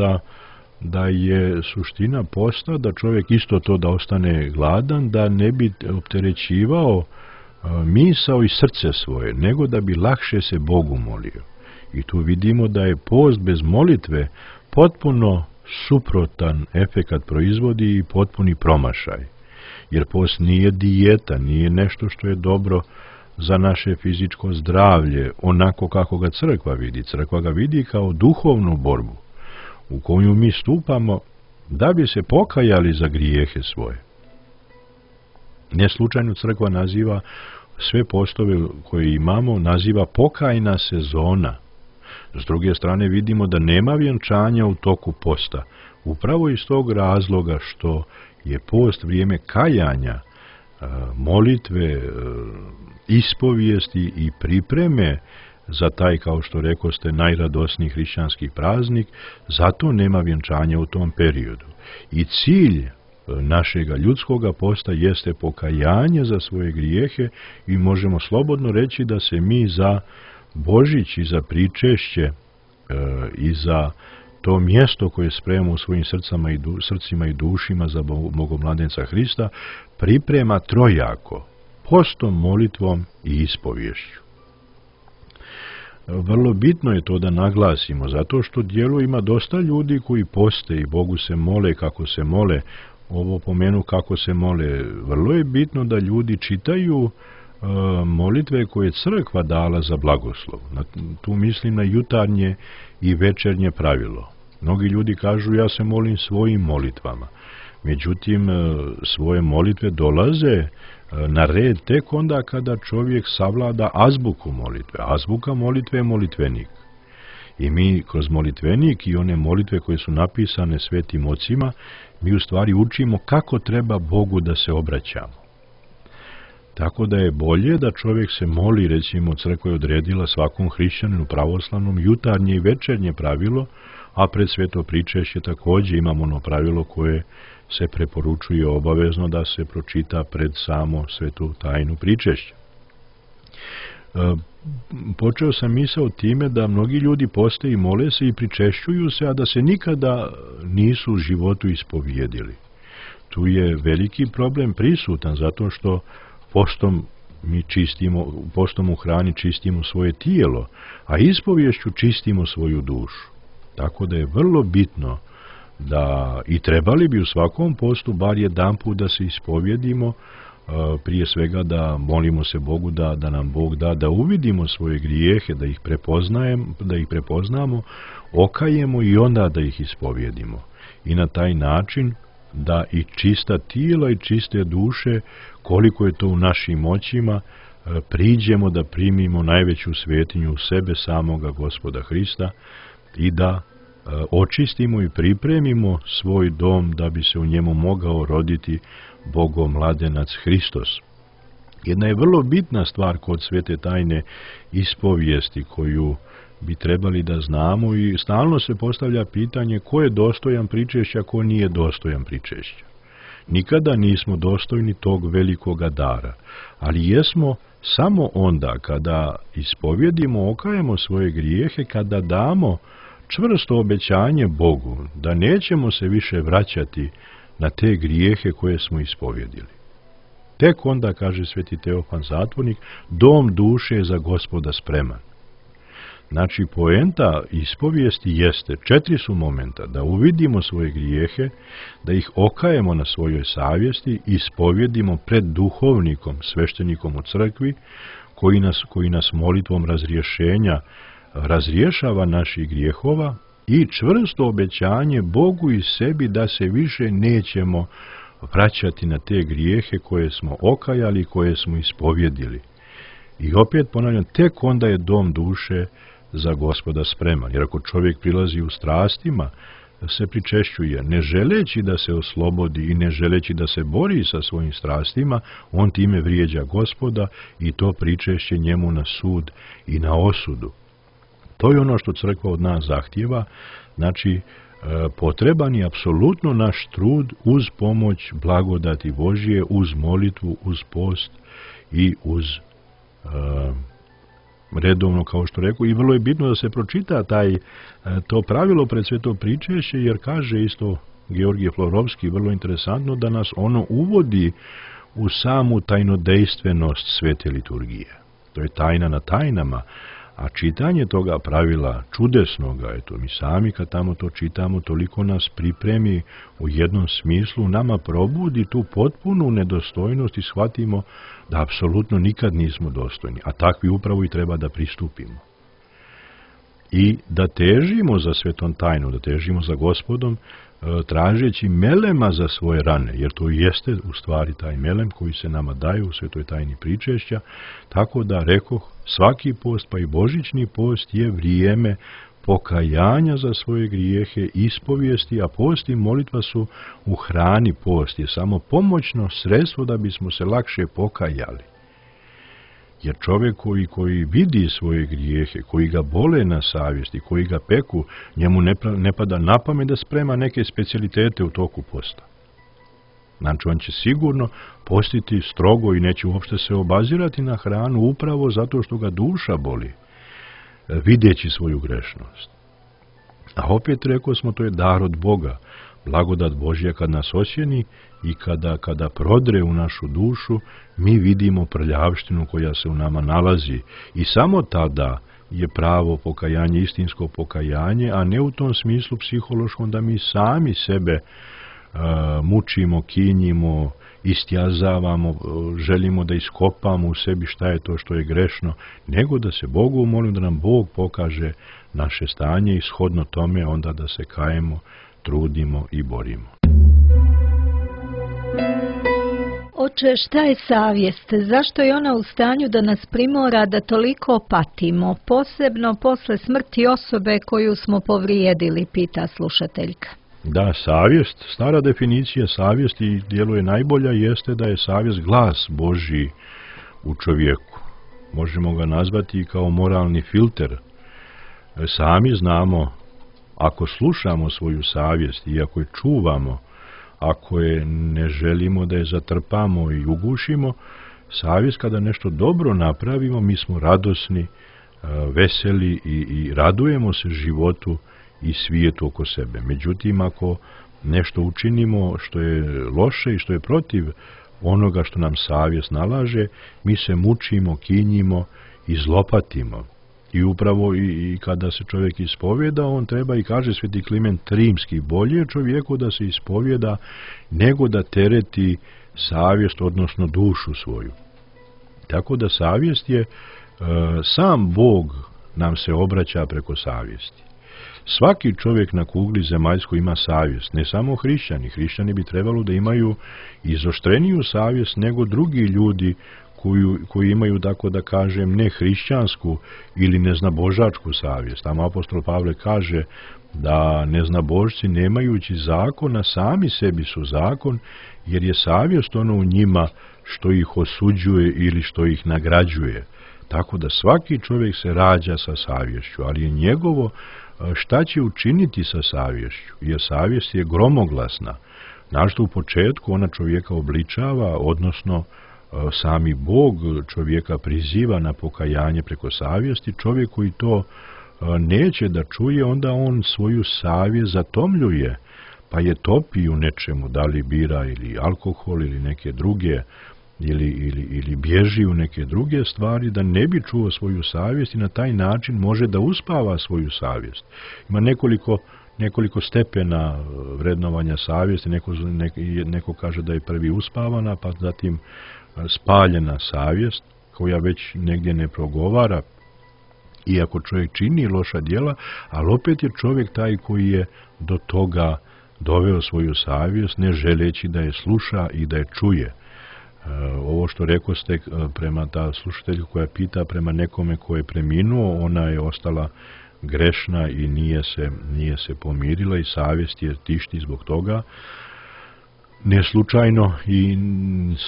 da je suština posta, da čovjek isto to da ostane gladan, da ne bi opterećivao misao i srce svoje, nego da bi lakše se Bogu molio. I tu vidimo da je post bez molitve potpuno suprotan efekat proizvodi i potpuni promašaj. Jer post nije dijeta, nije nešto što je dobro za naše fizičko zdravlje, onako kako ga crkva vidi. Crkva ga vidi kao duhovnu borbu u koju mi stupamo da bi se pokajali za grijehe svoje. Neslučajno crkva naziva sve postove koje imamo, naziva pokajna sezona. S druge strane vidimo da nema vjenčanja u toku posta, upravo iz tog razloga što je post vrijeme kajanja, molitve, ispovijesti i pripreme za taj, kao što rekoste, najradosniji hrišćanski praznik, zato nema vjenčanja u tom periodu. I cilj našega ljudskoga posta jeste pokajanje za svoje grijehe i možemo slobodno reći da se mi za Božić i za pričešće i za to mjesto koje spremamo u svojim srcima i dušima za Bogomladenca Hrista priprema trojako, postom, molitvom i ispovješću. Vrlo bitno je to da naglasimo, zato što djelu ima dosta ljudi koji poste i Bogu se mole kako se mole. Ovo pomenu kako se mole. Vrlo je bitno da ljudi čitaju molitve koje je crkva dala za blagoslov. Tu mislim na jutarnje i večernje pravilo. Mnogi ljudi kažu ja se molim svojim molitvama. Međutim, svoje molitve dolaze na red tek onda kada čovjek savlada azbuku molitve. Azbuka molitve je molitvenik. I mi kroz molitvenik i one molitve koje su napisane svetim ocima, mi u stvari učimo kako treba Bogu da se obraćamo. Tako da je bolje da čovjek se moli, recimo crkva je odredila svakom hrišćaninu pravoslavnom jutarnje i večernje pravilo, a pred sveto pričešće također imamo ono pravilo koje se preporučuje obavezno da se pročita pred samo svetu tajnu pričešća. Počeo sam misao time da mnogi ljudi poste i mole se i pričešćuju se, a da se nikada nisu u životu ispovijedili. Tu je veliki problem prisutan, zato što postom u hrani čistimo svoje tijelo, a ispovješću čistimo svoju dušu. Tako da je vrlo bitno da i trebali bi u svakom postu bar jedanput da se ispovjedimo, prije svega da molimo se Bogu da nam Bog da uvidimo svoje grijehe, da ih prepoznamo, okajemo i onda da ih ispovjedimo. I na taj način da i čista tijela i čiste duše, koliko je to u našim moćima, priđemo da primimo najveću svetinju u sebe samoga Gospoda Hrista i da očistimo i pripremimo svoj dom da bi se u njemu mogao roditi Bogomladenac Hristos. Jedna je vrlo bitna stvar kod svete tajne ispovijesti koju bi trebali da znamo i stalno se postavlja pitanje ko je dostojan pričešća, ko nije dostojan pričešća. Nikada nismo dostojni tog velikoga dara, ali jesmo samo onda kada ispovjedimo, okajemo svoje grijehe, kada damo čvrsto obećanje Bogu da nećemo se više vraćati na te grijehe koje smo ispovjedili. Tek onda, kaže sveti Teofan Zatvornik, dom duše je za Gospoda spreman. Znači, poenta ispovijesti jeste, 4 su momenta, da uvidimo svoje grijehe, da ih okajemo na svojoj savjesti, ispovjedimo pred duhovnikom, sveštenikom u crkvi, koji nas molitvom razriješenja razriješava naših grijehova i čvrsto obećanje Bogu i sebi da se više nećemo vraćati na te grijehe koje smo okajali, koje smo ispovjedili. I opet ponavljam, tek onda je dom duše za Gospoda spreman. Jer ako čovjek prilazi u strastima, se pričešćuje, ne želeći da se oslobodi i ne želeći da se bori sa svojim strastima, on time vrijeđa Gospoda i to pričešće njemu na sud i na osudu. To je ono što crkva od nas zahtijeva, znači potreban je apsolutno naš trud uz pomoć blagodati Božije, uz molitvu, uz post i uz redovno, kao što rekao, i vrlo je bitno da se pročita to pravilo pred sveto pričešće, jer kaže isto Georgije Florovski, vrlo interesantno, da nas ono uvodi u samu tajnodejstvenost svete liturgije. To je tajna na tajnama, a čitanje toga pravila čudesnoga, eto, mi sami kad tamo to čitamo, toliko nas pripremi u jednom smislu, nama probudi tu potpunu nedostojnost i shvatimo da apsolutno nikad nismo dostojni, a takvi upravo i treba da pristupimo. I da težimo za svetom tajnu, da težimo za Gospodom, tražeći melema za svoje rane, jer to jeste u stvari taj melem koji se nama daje u svetoj tajni pričešća, tako da rekoh, svaki post, pa i božićni post je vrijeme pokajanja za svoje grijehe, ispovijesti, a post i molitva su u hrani. Post je samo pomoćno sredstvo da bismo se lakše pokajali. Jer čovjek koji vidi svoje grijehe, koji ga bole na savjesti, koji ga peku, njemu ne pada na pamet da sprema neke specijalitete u toku posta. Znači, on će sigurno postiti strogo i neće uopšte se obazirati na hranu upravo zato što ga duša boli, videći svoju grešnost. A opet rekao smo, to je dar od Boga, blagodat Božja kad nas osjeni i kada prodre u našu dušu, mi vidimo prljavštinu koja se u nama nalazi i samo tada je pravo pokajanje, istinsko pokajanje, a ne u tom smislu psihološkom da mi sami sebe mučimo, kinjimo, istjazavamo, želimo da iskopamo u sebi šta je to što je grešno, nego da se Bogu molim da nam Bog pokaže naše stanje i shodno tome onda da se kajemo, trudimo i borimo. Oče, šta je savjest? Zašto je ona u stanju da nas primora da toliko patimo, posebno posle smrti osobe koju smo povrijedili, pita slušateljka. Da, savjest, stara definicija savjesti djeluje najbolja, jeste da je savjest glas Božji u čovjeku. Možemo ga nazvati kao moralni filter. Sami znamo, ako slušamo svoju savjest i ako je čuvamo, ako je ne želimo da je zatrpamo i ugušimo, savjest kada nešto dobro napravimo, mi smo radosni, veseli i radujemo se životu i svijetu oko sebe. Međutim, ako nešto učinimo što je loše i što je protiv onoga što nam savjest nalaže, mi se mučimo, kinjimo i zlopatimo. I upravo i kada se čovjek ispovjeda, on treba, i kaže sveti Kliment Rimski, bolje je čovjeku da se ispovjeda nego da tereti savjest, odnosno dušu svoju. Tako da savjest je, sam Bog nam se obraća preko savjesti. Svaki čovjek na kugli zemaljskoj ima savjest, ne samo hrišćani. Hrišćani bi trebalo da imaju izoštreniju savjest nego drugi ljudi koji imaju, tako da kažem, ne hrišćansku ili neznabožačku savjest. Tamo apostol Pavle kaže, da neznabožci nemajući zakona sami sebi su zakon, jer je savjest ono u njima što ih osuđuje ili što ih nagrađuje. Tako da svaki čovjek se rađa sa savješću, ali je njegovo šta će učiniti sa savješću, jer savjest je gromoglasna. Našto u početku ona čovjeka obličava, odnosno sami Bog čovjeka priziva na pokajanje preko savjesti. Čovjek koji to neće da čuje, onda on svoju savjest zatomljuje, pa je topi u nečemu, da li bira ili alkohol ili neke druge, ili bježi u neke druge stvari, da ne bi čuo svoju savjest i na taj način može da uspava svoju savjest. Ima nekoliko stepena vrednovanja savjesti, neko kaže da je prvi uspavana, pa zatim spaljena savjest, koja već negdje ne progovara, iako čovjek čini loša djela, ali opet je čovjek taj koji je do toga doveo svoju savjest, ne želeći da je sluša i da je čuje. Ovo što rekoste prema ta slušatelju koja pita prema nekome ko je preminuo, ona je ostala grešna i nije se pomirila i savjest je tišti zbog toga. Ne slučajno i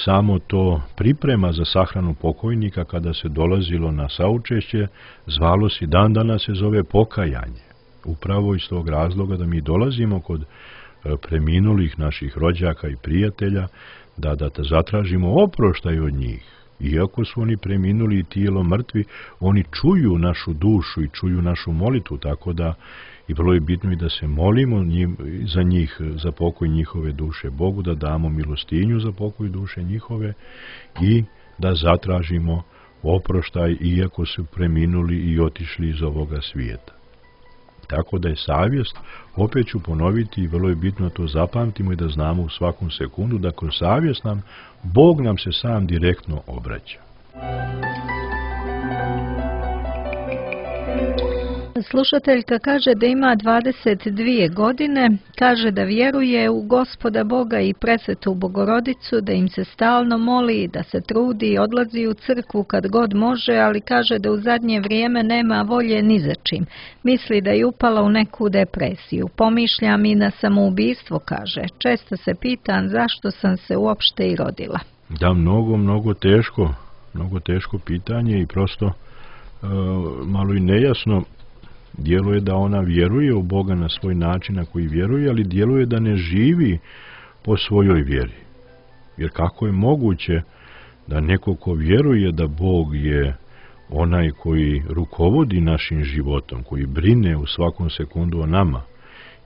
samo to priprema za sahranu pokojnika kada se dolazilo na saučešće, zvalo se dan danas se zove pokajanje. Upravo iz tog razloga da mi dolazimo kod preminulih naših rođaka i prijatelja, da zatražimo oproštaj od njih. Iako su oni preminuli i tijelo mrtvi, oni čuju našu dušu i čuju našu molitvu, tako da i vrlo je bitno i da se molimo za njih, za pokoj njihove duše Bogu, da damo milostinju za pokoj duše njihove i da zatražimo oproštaj iako su preminuli i otišli iz ovoga svijeta. Tako da je savjest, opet ću ponoviti i vrlo je bitno to zapamtimo i da znamo u svakom sekundu da kroz savjest Bog nam se sam direktno obraća. Slušateljka kaže da ima 22 godine, kaže da vjeruje u Gospoda Boga i Presvetu Bogorodicu, da im se stalno moli, da se trudi i odlazi u crkvu kad god može, ali kaže da u zadnje vrijeme nema volje ni za čim. Misli da je upala u neku depresiju. Pomišljam i na samoubistvo, kaže. Često se pitam zašto sam se uopšte i rodila. Da, mnogo teško pitanje i prosto malo i nejasno. Djeluje da ona vjeruje u Boga na svoj način na koji vjeruje, ali djeluje da ne živi po svojoj vjeri. Jer kako je moguće da neko ko vjeruje da Bog je onaj koji rukovodi našim životom, koji brine u svakom sekundu o nama,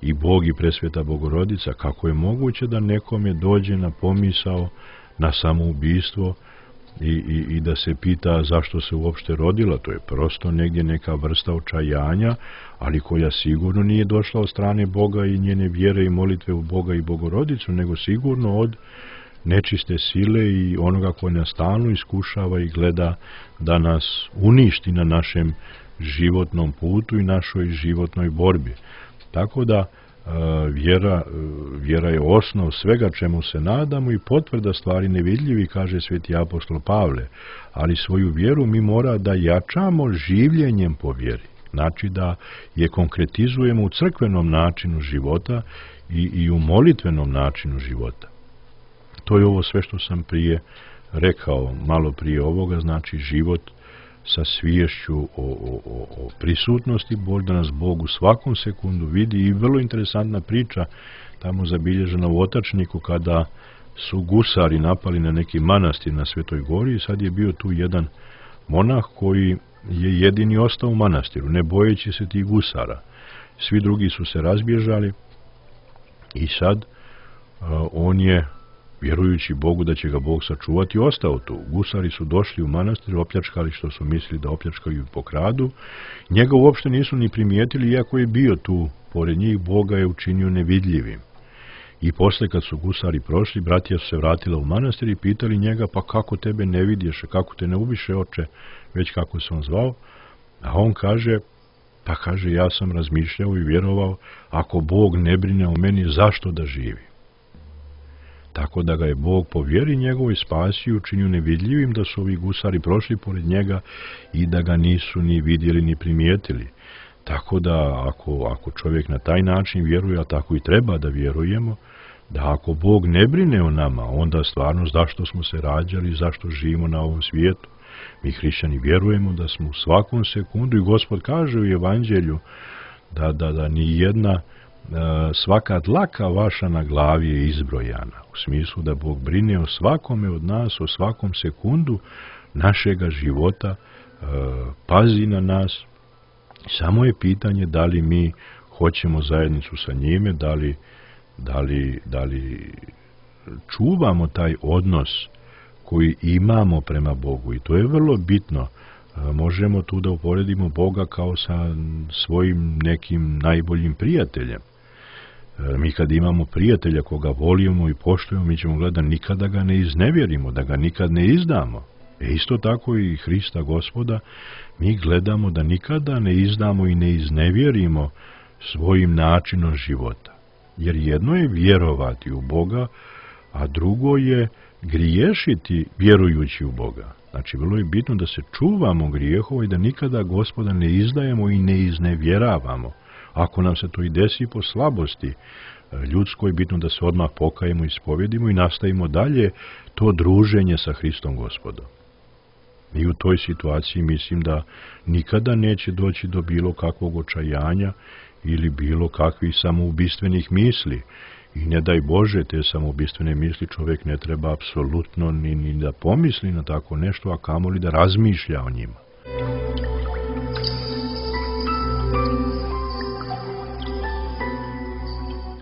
i Bog i Presveta Bogorodica, kako je moguće da nekome dođe na pomisao na samoubistvo i da se pita zašto se uopšte rodila. To je prosto negdje neka vrsta očajanja, ali koja sigurno nije došla od strane Boga i njene vjere i molitve u Boga i Bogorodicu, nego sigurno od nečiste sile i onoga koji nas stalno iskušava i gleda da nas uništi na našem životnom putu i našoj životnoj borbi. Tako da vjera je osnov svega čemu se nadamo i potvrda stvari nevidljivi, kaže sveti apostol Pavle, ali svoju vjeru mi mora da jačamo življenjem po vjeri. Znači da je konkretizujemo u crkvenom načinu života i u molitvenom načinu života. To je ovo sve što sam prije rekao, malo prije ovoga, znači život sa sviješću o prisutnosti Boga, da nas Bog u svakom sekundu vidi. I vrlo interesantna priča tamo zabilježena u Otačniku kada su gusari napali na neki manastir na Svetoj Gori i sad je bio tu jedan monah koji je jedini ostao u manastiru, ne bojeći se tih gusara. Svi drugi su se razbježali i sad on je, vjerujući Bogu da će ga Bog sačuvati, ostao tu. Gusari su došli u manastir, opljačkali što su mislili da opljačkaju i pokradu. Njega uopšte nisu ni primijetili, iako je bio tu pored njih, Boga je učinio nevidljivim. I posle kad su gusari prošli, bratija su se vratila u manastir i pitali njega, pa kako tebe ne vidješe, kako te ne ubiše, oče, već kako se on zvao. A on kaže, pa kaže, ja sam razmišljao i vjerovao, ako Bog ne brine o meni, zašto da živi? Tako da ga je Bog po vjeri njegovoj spasio, učinio nevidljivim, da su ovi gusari prošli pored njega i da ga nisu ni vidjeli ni primijetili. Tako da ako čovjek na taj način vjeruje, a tako i treba da vjerujemo, da ako Bog ne brine o nama, onda stvarno zašto smo se rađali, zašto živimo na ovom svijetu. Mi hrišćani vjerujemo da smo u svakom sekundu, i Gospod kaže u Evanđelju da ni jedna, svaka dlaka vaša na glavi je izbrojana. U smislu da Bog brine o svakome od nas, o svakom sekundu našega života, pazi na nas. Samo je pitanje da li mi hoćemo zajednicu sa njime, da li čuvamo taj odnos koji imamo prema Bogu. I to je vrlo bitno. Možemo tu da uporedimo Boga kao sa svojim nekim najboljim prijateljem. Mi kad imamo prijatelja koga volimo i poštujemo, mi ćemo gledati da nikada ga ne iznevjerimo, da ga nikad ne izdamo. Isto tako i Hrista Gospoda, mi gledamo da nikada ne izdamo i ne iznevjerimo svojim načinom života. Jer jedno je vjerovati u Boga, a drugo je griješiti vjerujući u Boga. Znači, vrlo je bitno da se čuvamo grijehova i da nikada Gospoda ne izdajemo i ne iznevjeravamo. Ako nam se to i desi po slabosti ljudskoj, bitno da se odmah pokajemo, ispovjedimo i nastavimo dalje to druženje sa Hristom Gospodom. I u toj situaciji mislim da nikada neće doći do bilo kakvog očajanja ili bilo kakvih samoubistvenih misli. I ne daj Bože, te samoubistvene misli čovjek ne treba apsolutno ni da pomisli na tako nešto, a kamoli da razmišlja o njima.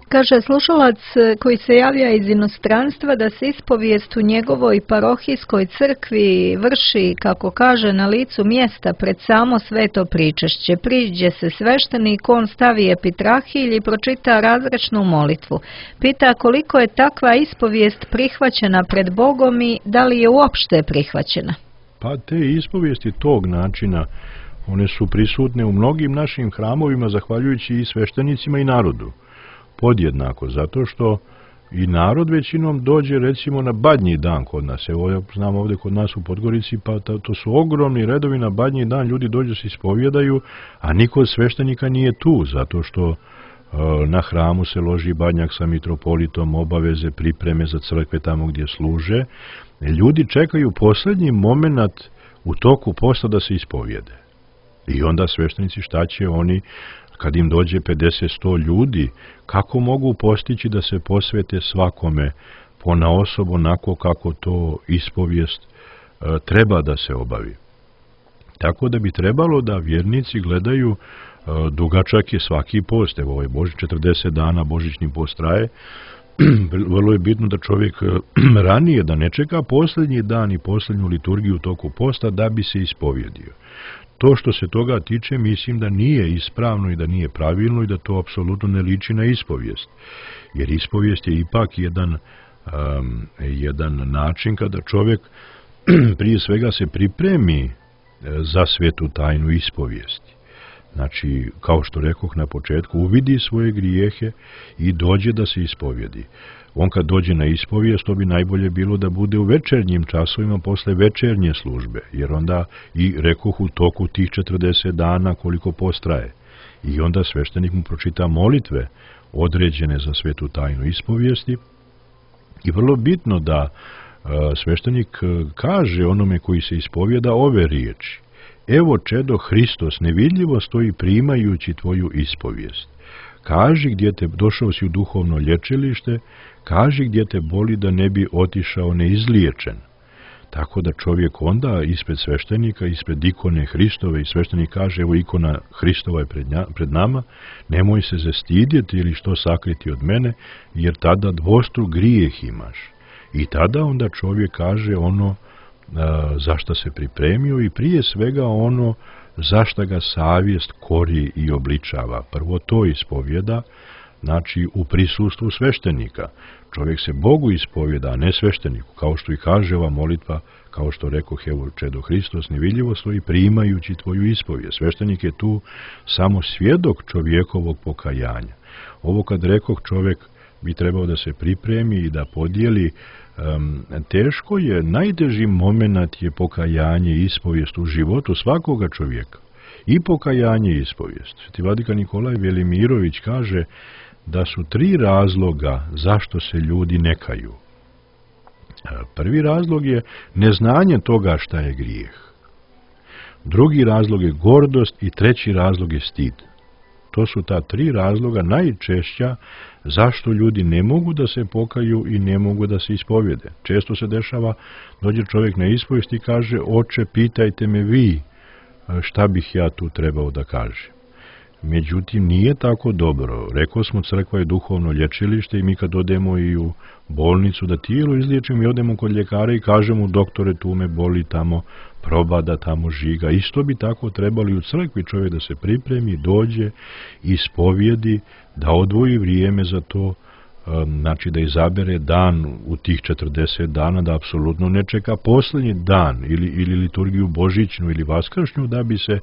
Kaže slušalac koji se javlja iz inostranstva da se ispovijest u njegovoj parohijskoj crkvi vrši, kako kaže, na licu mjesta pred samo sveto pričešće. Priđe se sveštenik, on stavi epitrahilj i pročita razrečnu molitvu. Pita koliko je takva ispovijest prihvaćena pred Bogom i da li je uopšte prihvaćena. Pa te ispovijesti tog načina, one su prisutne u mnogim našim hramovima, zahvaljujući i sveštenicima i narodu. Podjednako, zato što i narod većinom dođe recimo na Badnji dan kod nas. Evo ja znam ovdje kod nas u Podgorici, pa to su ogromni redovi na Badnji dan, ljudi dođu se ispovjedaju, a niko od sveštenika nije tu, zato što na hramu se loži badnjak sa mitropolitom, obaveze, pripreme za crkve tamo gdje služe. Ljudi čekaju posljednji moment u toku posta da se ispovjede. I onda sveštenici, šta će oni kad im dođe 50-100 ljudi, kako mogu postići da se posvete svakome ponaosob onako kako to ispovijest treba da se obavi. Tako da bi trebalo da vjernici gledaju, dugačak je svaki post, evo ovaj Božić 40 dana, božićni post traje, vrlo je bitno da čovjek ranije, da ne čeka posljednji dan i posljednju liturgiju u toku posta da bi se ispovjedio. To što se toga tiče, mislim da nije ispravno i da nije pravilno i da to apsolutno ne liči na ispovijest. Jer ispovijest je ipak jedan način kada čovjek prije svega se pripremi za svetu tajnu ispovijesti. Znači, kao što rekoh na početku, uvidi svoje grijehe i dođe da se ispovjedi. On kad dođe na ispovijest, to bi najbolje bilo da bude u večernjim časovima posle večernje službe, jer onda i rekoh u toku tih 40 dana koliko postraje. I onda sveštenik mu pročita molitve određene za svetu tajnu ispovijesti i vrlo bitno da sveštenik kaže onome koji se ispovjeda ove riječi. Evo čedo Hristos nevidljivo stoji primajući tvoju ispovijest. Kaži gdje te, došao si u duhovno lječilište, kaži gdje te boli da ne bi otišao neizliječen. Tako da čovjek onda ispred sveštenika, ispred ikone Hristove, i sveštenik kaže, evo ikona Hristova je pred nama, nemoj se zastidjeti ili što sakriti od mene, jer tada dvostruk grijeh imaš. I tada onda čovjek kaže ono zašto se pripremio i prije svega ono zašto ga savjest kori i obličava. Prvo to ispovjeda, znači u prisustvu sveštenika. Čovjek se Bogu ispovjeda, a ne svešteniku, kao što i kaže ova molitva, kao što rekoh, evo čedo Hristos nevidljivo stoji primajući tvoju ispovijest. Sveštenik je tu samo svjedok čovjekovog pokajanja. Ovo kad rekoh, čovjek bi trebao da se pripremi i da podijeli. Teško je, najteži moment je pokajanje i ispovijest u životu svakoga čovjeka. i pokajanje i ispovijest. Sveti vladika Nikolaj Velimirović kaže da su 3 razloga zašto se ljudi ne kaju. Prvi razlog je neznanje toga šta je grijeh. Drugi razlog je gordost i treći razlog je stid. To su ta 3 razloga najčešća zašto ljudi ne mogu da se pokaju i ne mogu da se ispovjede. Često se dešava, dođe čovjek na ispovijest i kaže: oče, pitajte me vi šta bih ja tu trebao da kažem. Međutim, nije tako dobro. Rekao smo, crkva je duhovno lječilište i mi kad odemo i u bolnicu da tijelo izliječimo i odemo kod ljekara i kažemo: doktore, tu me boli, tamo probada, tamo žiga. Isto bi tako trebali u crkvi čovjek da se pripremi, dođe, ispovjedi, da odvoji vrijeme za to, znači da izabere dan u tih 40 dana, da apsolutno ne čeka posljednji dan ili liturgiju božićnu ili vaskršnju da bi se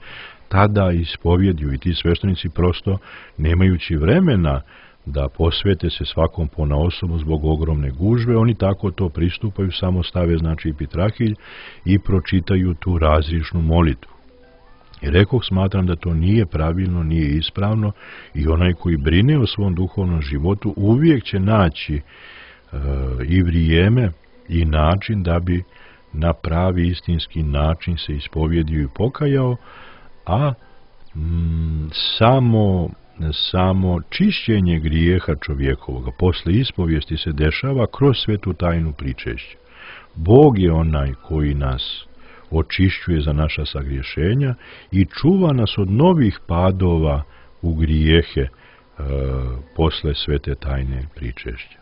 tada ispovjedio. I ti sveštenici prosto, nemajući vremena da posvete se svakom ponaosobu zbog ogromne gužve, oni tako to pristupaju, samo stave znači pitrahilj i pročitaju tu razrišnu molitvu. I rekoh, smatram da to nije pravilno, nije ispravno i onaj koji brine o svom duhovnom životu uvijek će naći i vrijeme i način da bi na pravi istinski način se ispovjedio i pokajao, a samo čišćenje grijeha čovjekovoga posle ispovijesti se dešava kroz svetu tajnu pričešća. Bog je onaj koji nas očišćuje za naša sagriješenja i čuva nas od novih padova u grijehe posle svete tajne pričešća.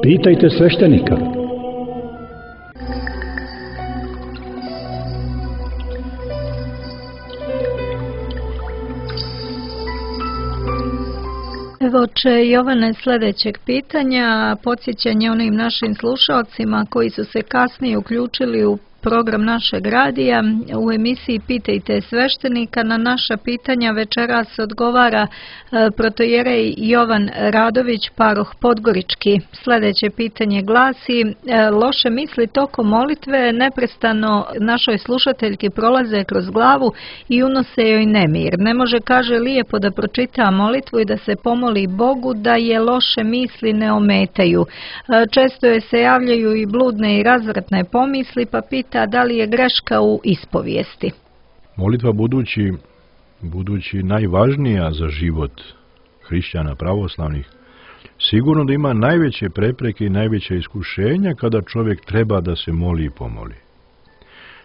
Pitajte sveštenika. Evo oče Jovane sljedećeg pitanja, podsjećanje onim našim slušalcima koji su se kasnije uključili u program našeg radija. U emisiji Pitajte sveštenika na naša pitanja večeras odgovara protojerej Jovan Radović, paroh Podgorički. Sljedeće pitanje glasi: loše misli tokom molitve neprestano našoj slušateljki prolaze kroz glavu i unose joj nemir. Ne može, kaže, lijepo da pročita molitvu i da se pomoli Bogu da je loše misli ne ometaju. Često joj se javljaju i bludne i razvratne pomisli, pa pita da li je greška u ispovijesti. Molitva budući najvažnija za život hrišćana pravoslavnih, sigurno da ima najveće prepreke i najveća iskušenja kada čovjek treba da se moli i pomoli.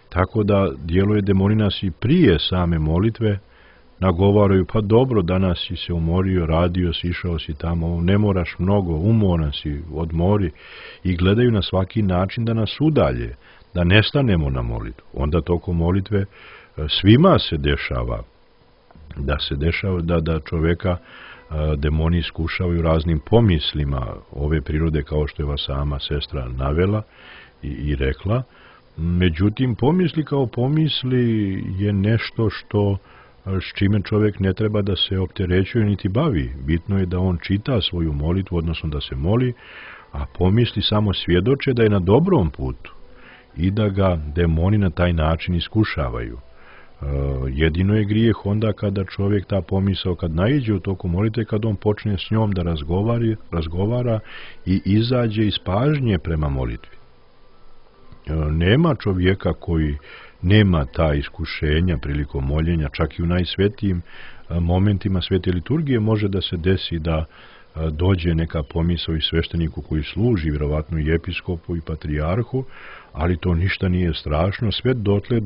Tako da djeluje demoni nas i prije same molitve, nagovaraju: pa dobro, danas si se umorio, radio si, išao si tamo, ne moraš mnogo, umoran si, odmori, i gledaju na svaki način da nas udalje, da nestanemo na molitvu. Onda tokom molitve svima se dešava da čovjeka demoni iskušavaju raznim pomislima ove prirode, kao što je vas sama sestra navela i rekla. Međutim, pomisli kao pomisli je nešto s čime čovjek ne treba da se opterećuje niti bavi. Bitno je da on čita svoju molitvu, odnosno da se moli, a pomisli samo svjedoče da je na dobrom putu i da ga demoni na taj način iskušavaju. Jedino je grijeh onda kada čovjek ta pomisao, kad naiđe u toku molitve, kad on počne s njom da razgovara i izađe iz pažnje prema molitvi. Nema čovjeka koji nema ta iskušenja prilikom moljenja, čak i u najsvetijim momentima svete liturgije može da se desi da dođe neka pomisao i svešteniku koji služi, vjerovatno i episkopu i patrijarhu, ali to ništa nije strašno, sve dotle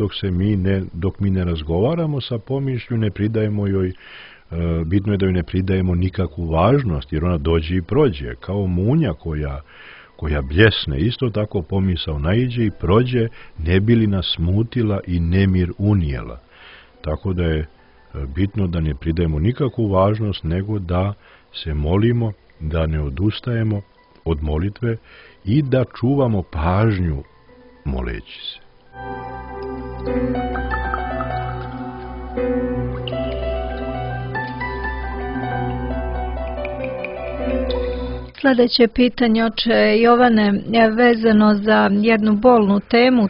dok mi ne razgovaramo sa pomišlju, ne pridajemo joj, bitno je da joj ne pridajemo nikakvu važnost, jer ona dođe i prođe, kao munja koja bljesne, isto tako pomisao naiđe i prođe, ne bi li nas smutila i nemir unijela. Tako da je bitno da ne pridajemo nikakvu važnost, nego da se molimo, da ne odustajemo od molitve i da čuvamo pažnju moleći se. Sljedeće pitanje, oče Jovane, je vezano za jednu bolnu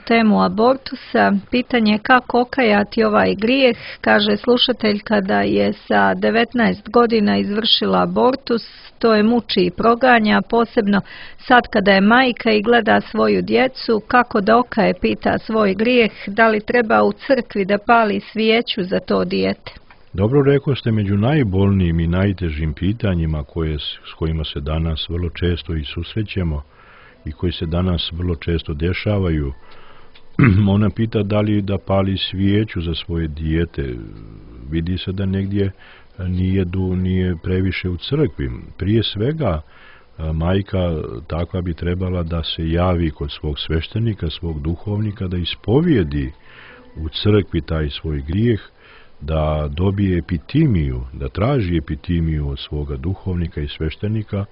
temu abortusa. Pitanje: kako okajati ovaj grijeh? Kaže slušateljka da je sa 19 godina izvršila abortus, to je muči i proganja, posebno sad kada je majka i gleda svoju djecu. Kako da okaje, pita, svoj grijeh? Da li treba u crkvi da pali svijeću za to dijete? Dobro rekao ste, među najbolnijim i najtežim pitanjima s kojima se danas vrlo često i susrećemo i koji se danas vrlo često dešavaju. Ona pita da li da pali svijeću za svoje dijete. Vidi se da negdje nije previše u crkvi. Prije svega, majka takva bi trebala da se javi kod svog sveštenika, svog duhovnika, da ispovijedi u crkvi taj svoj grijeh, da dobije epitimiju, da traži epitimiju od svoga duhovnika i sveštenika.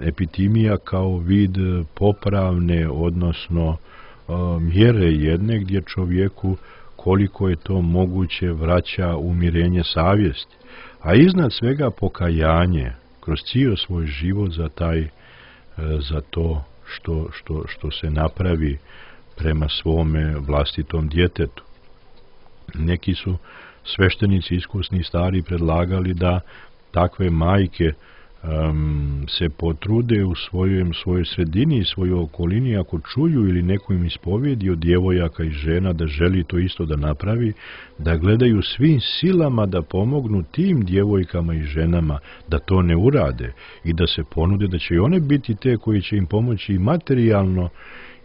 Epitimija kao vid popravne, odnosno mjere jedne gdje čovjeku, koliko je to moguće, vraća umirenje savjesti. A iznad svega pokajanje kroz cijeli svoj život za to što se napravi prema svome vlastitom djetetu. Neki su sveštenici iskusni stari predlagali da takve majke se potrude u svojoj sredini i svojoj okolini, ako čuju ili neko im ispovijedi od djevojaka i žena da želi to isto da napravi, da gledaju svim silama da pomognu tim djevojkama i ženama da to ne urade i da se ponude da će i one biti te koji će im pomoći i materijalno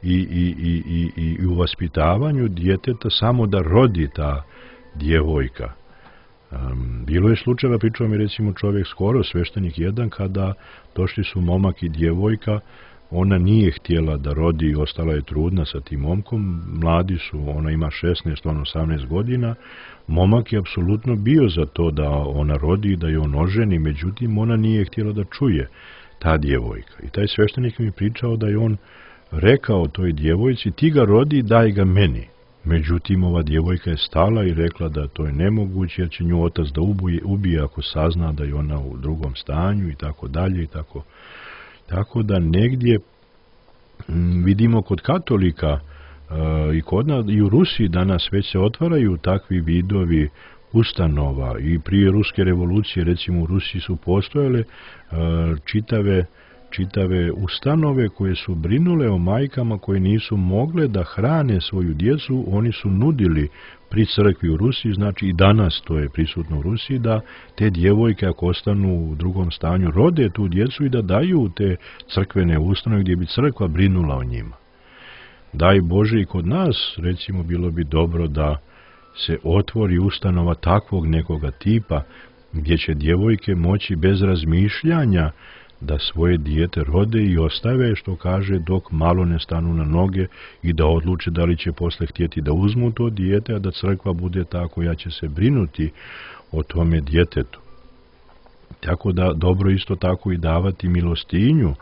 i u vaspitavanju djeteta, samo da rodi ta djevojka. Bilo je slučajeva, pričao mi recimo čovjek skoro, sveštenik jedan, kada došli su momak i djevojka, ona nije htjela da rodi, ostala je trudna sa tim momkom, mladi su, ona ima 16, on 18 godina, momak je apsolutno bio za to da ona rodi, da je on oženi, međutim ona nije htjela da čuje, ta djevojka. I taj sveštenik mi pričao da je on rekao toj djevojci, ti ga rodi, daj ga meni. Međutim, ova djevojka je stala i rekla da to je nemoguće, jer će nju otac da ubije ako sazna da je ona u drugom stanju i tako dalje. Tako da negdje vidimo kod katolika i kod nas, i u Rusiji danas već se otvaraju takvi vidovi ustanova i prije ruske revolucije, recimo u Rusiji su postojale čitave ustanove koje su brinule o majkama koje nisu mogle da hrane svoju djecu, oni su nudili pri crkvi u Rusiji, znači i danas to je prisutno u Rusiji, da te djevojke ako ostanu u drugom stanju rode tu djecu i da daju te crkvene ustanove gdje bi crkva brinula o njima. Daj Bože i kod nas, recimo, bilo bi dobro da se otvori ustanova takvog nekoga tipa gdje će djevojke moći bez razmišljanja da svoje dijete rode i ostave, što kaže, dok malo ne stanu na noge i da odluče da li će posle htjeti da uzmu to dijete, a da crkva bude ta koja će se brinuti o tome djetetu. Tako da dobro isto tako i davati milostinju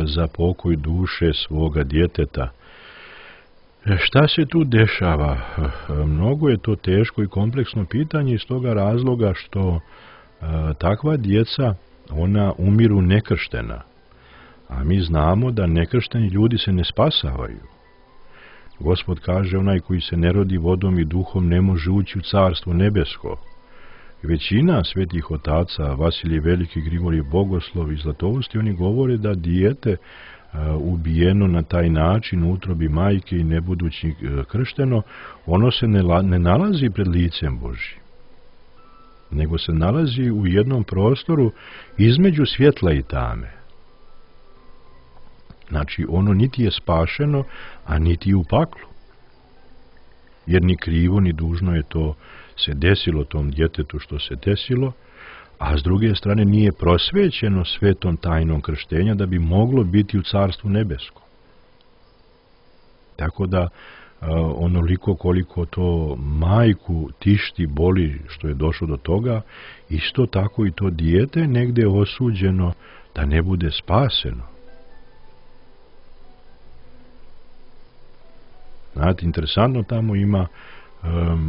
za pokoj duše svoga djeteta. Šta se tu dešava? Mnogo je to teško i kompleksno pitanje iz toga razloga što takva djeca, ona umiru nekrštena, a mi znamo da nekršteni ljudi se ne spasavaju. Gospod kaže, onaj koji se ne rodi vodom i duhom ne može ući u carstvo nebesko. Većina svetih otaca, Vasilije Veliki, Grigorije Bogoslov i Zlatousti, oni govore da dijete ubijeno na taj način u utrobi majke i ne budući kršteno, ono se ne nalazi pred licem Božjim, nego se nalazi u jednom prostoru između svjetla i tame. Znači, ono niti je spašeno, a niti je u paklu. Jer ni krivo, ni dužno je to se desilo tom djetetu što se desilo, a s druge strane nije prosvećeno svetom tajnom krštenja da bi moglo biti u carstvu nebeskom. Tako da onoliko koliko to majku tišti, boli što je došlo do toga, isto tako i to dijete negdje je osuđeno da ne bude spaseno. Znate, interesantno, tamo ima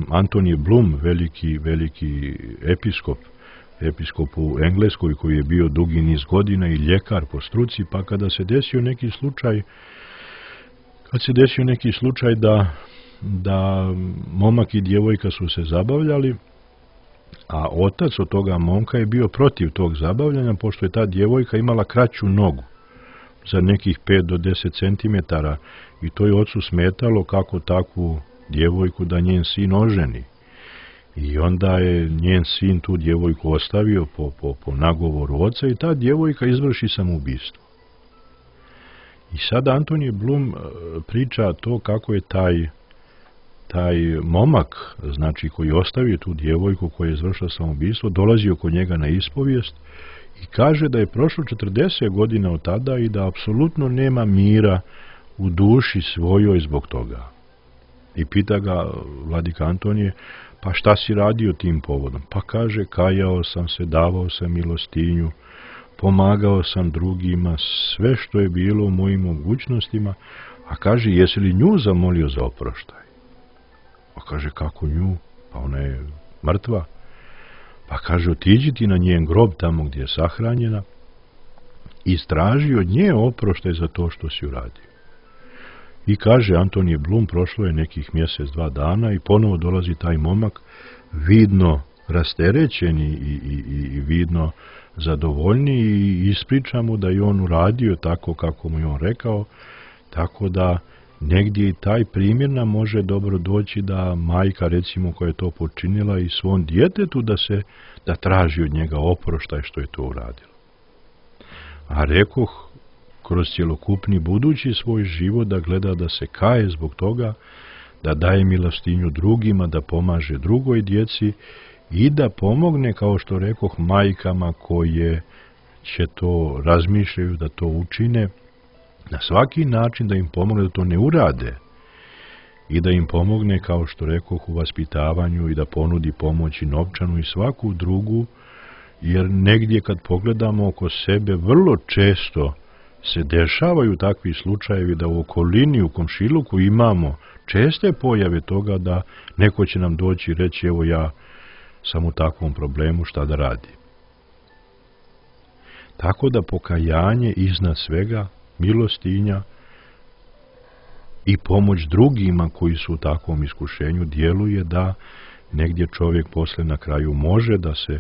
Antonije Blum, veliki episkop u Engleskoj koji je bio dugi niz godina i ljekar po struci, pa kada se desio neki slučaj da momak i djevojka su se zabavljali, a otac od toga momka je bio protiv tog zabavljanja, pošto je ta djevojka imala kraću nogu za nekih 5 do 10 centimetara i to je ocu smetalo kako takvu djevojku da njen sin oženi. I onda je njen sin tu djevojku ostavio po nagovoru oca i ta djevojka izvrši samoubistvo. I sada Antonije Blum priča to kako je taj momak, znači koji ostavio tu djevojku koja je izvršila samoubistvo, dolazio kod njega na ispovijest i kaže da je prošlo 40 godina od tada i da apsolutno nema mira u duši svojoj zbog toga. I pita ga vladika Antonije, pa šta si radio tim povodom? Pa kaže, kajao sam se, davao sam milostinju, pomagao sam drugima, sve što je bilo u mojim mogućnostima, a kaže, jesi li nju zamolio za oproštaj? Pa kaže, kako nju? Pa ona je mrtva. Pa kaže, otiđi ti na njen grob tamo gdje je sahranjena i traži od nje oproštaj za to što si uradio. I kaže Antonije Blum, prošlo je nekih mjesec, 2 dana i ponovo dolazi taj momak, vidno rasterećen i vidno zadovoljni i ispriča mu da je on uradio tako kako mu je on rekao, tako da negdje i taj primjer nam može dobro doći da majka, recimo, koja je to počinila i svom djetetu da traži od njega oproštaj što je to uradilo. A rekoh, kroz cjelokupni budući svoj život da gleda da se kaje zbog toga, da daje milostinju drugima, da pomaže drugoj djeci i da pomogne, kao što rekoh, majkama koje će to razmišljaju, da to učine, na svaki način da im pomogne da to ne urade i da im pomogne, kao što rekoh, u vaspitavanju i da ponudi pomoć i novčanu i svaku drugu, jer negdje kad pogledamo oko sebe vrlo često se dešavaju takvi slučajevi da u okolini, u komšiluku imamo česte pojave toga da neko će nam doći i reći evo ja sam u takvom problemu, šta da radi. Tako da pokajanje iznad svega, milostinja i pomoć drugima koji su u takvom iskušenju djeluje da negdje čovjek posle na kraju može da se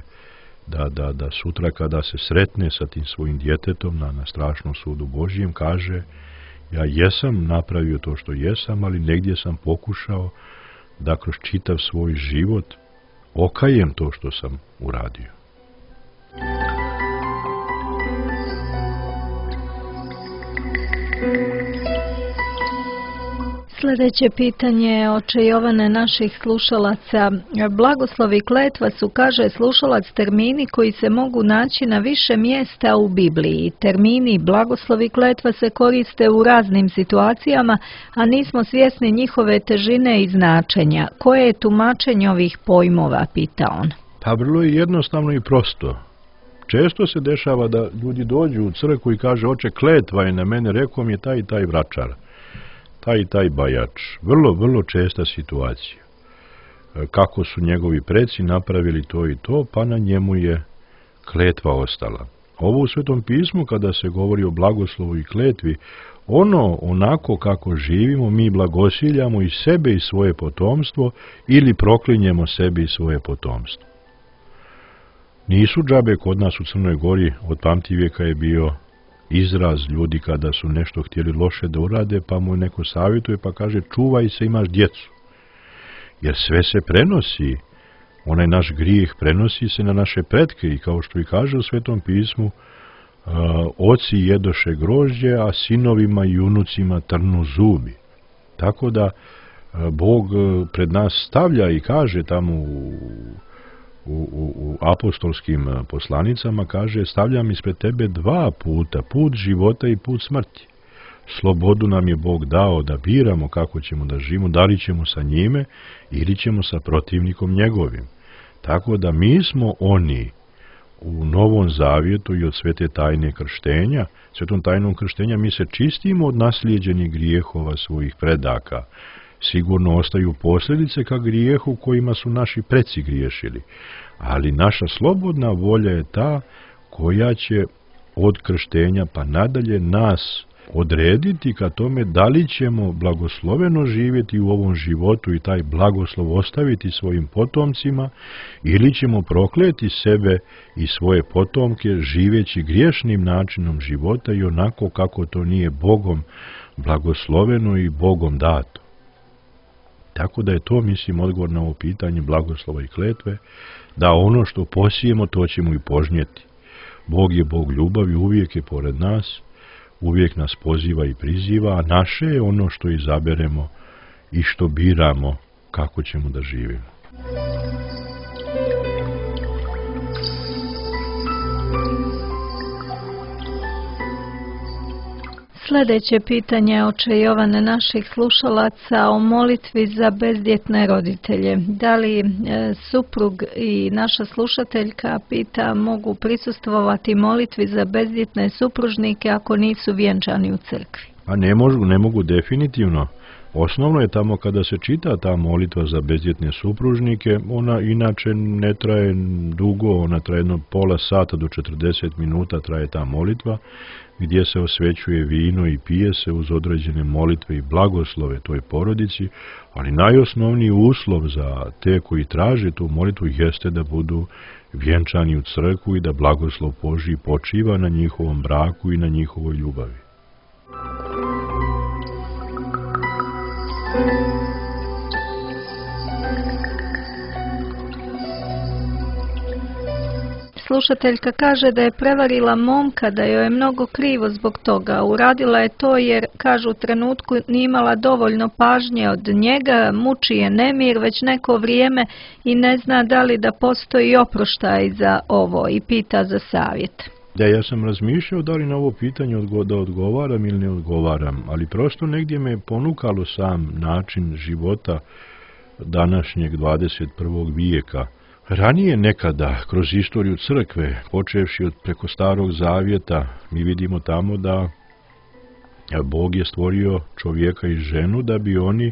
da sutra kada se sretne sa tim svojim djetetom na strašnom sudu Božjem kaže ja jesam napravio to što jesam, ali negdje sam pokušao da kroz čitav svoj život okajem to što sam uradio. Sljedeće pitanje, oče Jovane, naših slušalaca. Blagoslov i kletva su, kaže slušalac, termini koji se mogu naći na više mjesta u Bibliji. Termini blagoslov i kletva se koriste u raznim situacijama, a nismo svjesni njihove težine i značenja. Koje je tumačenje ovih pojmova, pita on. Pa vrlo je jednostavno i prosto. Često se dešava da ljudi dođu u crkvu i kaže oče kletva je na mene, rekao mi je taj i taj vračar. Taj i taj bajač. Vrlo česta situacija. Kako su njegovi preci napravili to i to, pa na njemu je kletva ostala. Ovo u Svetom pismu, kada se govori o blagoslovu i kletvi, onako kako živimo, mi blagosiljamo i sebe i svoje potomstvo ili proklinjemo sebe i svoje potomstvo. Nisu džabe kod nas u Crnoj Gori, od pamtivijeka je bio izraz ljudi kada su nešto htjeli loše da urade, pa mu neko savjetuje pa kaže čuvaj se, imaš djecu. Jer sve se prenosi, onaj naš grijeh prenosi se na naše pretke i kao što i kaže u Svetom pismu, oci jedoše grožđe, a sinovima i unucima trnu zubi. Tako da Bog pred nas stavlja i kaže tamo u apostolskim poslanicama, kaže stavljam ispred tebe dva puta, put života i put smrti. Slobodu nam je Bog dao da biramo kako ćemo da živimo, da li ćemo sa njime ili ćemo sa protivnikom njegovim. Tako da mi smo oni u Novom Zavjetu i od svete tajne krštenja, svetom tajnom krštenja mi se čistimo od naslijeđenih grijehova svojih predaka. Sigurno ostaju posljedice ka grijehu kojima su naši preci griješili, ali naša slobodna volja je ta koja će od krštenja pa nadalje nas odrediti ka tome da li ćemo blagosloveno živjeti u ovom životu i taj blagoslov ostaviti svojim potomcima ili ćemo prokleti sebe i svoje potomke živeći griješnim načinom života i onako kako to nije Bogom blagosloveno i Bogom dato. Tako da je to, mislim, odgovor na ovo pitanje blagoslova i kletve, da ono što posijemo, to ćemo i požnjeti. Bog je Bog ljubavi, uvijek je pored nas, uvijek nas poziva i priziva, a naše je ono što izaberemo i što biramo kako ćemo da živimo. Sljedeće pitanje, oče Jovane, naših slušalaca o molitvi za bezdjetne roditelje. Da li suprug i naša slušateljka pita mogu prisustvovati molitvi za bezdjetne supružnike ako nisu vjenčani u crkvi? A ne mogu definitivno. Osnovno je tamo kada se čita ta molitva za bezdjetne supružnike, ona inače ne traje dugo, ona traje jedno pola sata do 40 minuta traje ta molitva, gdje se osvećuje vino i pije se uz određene molitve i blagoslove toj porodici, ali najosnovniji uslov za te koji traže tu molitvu jeste da budu vjenčani u crkvu i da blagoslov Božji počiva na njihovom braku i na njihovoj ljubavi. slušateljka kaže da je prevarila momka, da joj je mnogo krivo zbog toga. Uradila je to jer, kažu, u trenutku nije imala dovoljno pažnje od njega, muči je nemir već neko vrijeme i ne zna da li da postoji oproštaj za ovo i pita za savjet. Da, ja sam razmišljao da li na ovo pitanje da odgovaram ili ne odgovaram, ali prosto negdje me je ponukalo sam način života današnjeg 21. vijeka. Ranije nekada, kroz istoriju crkve, počevši od preko Starog zavjeta, mi vidimo tamo da Bog je stvorio čovjeka i ženu da bi oni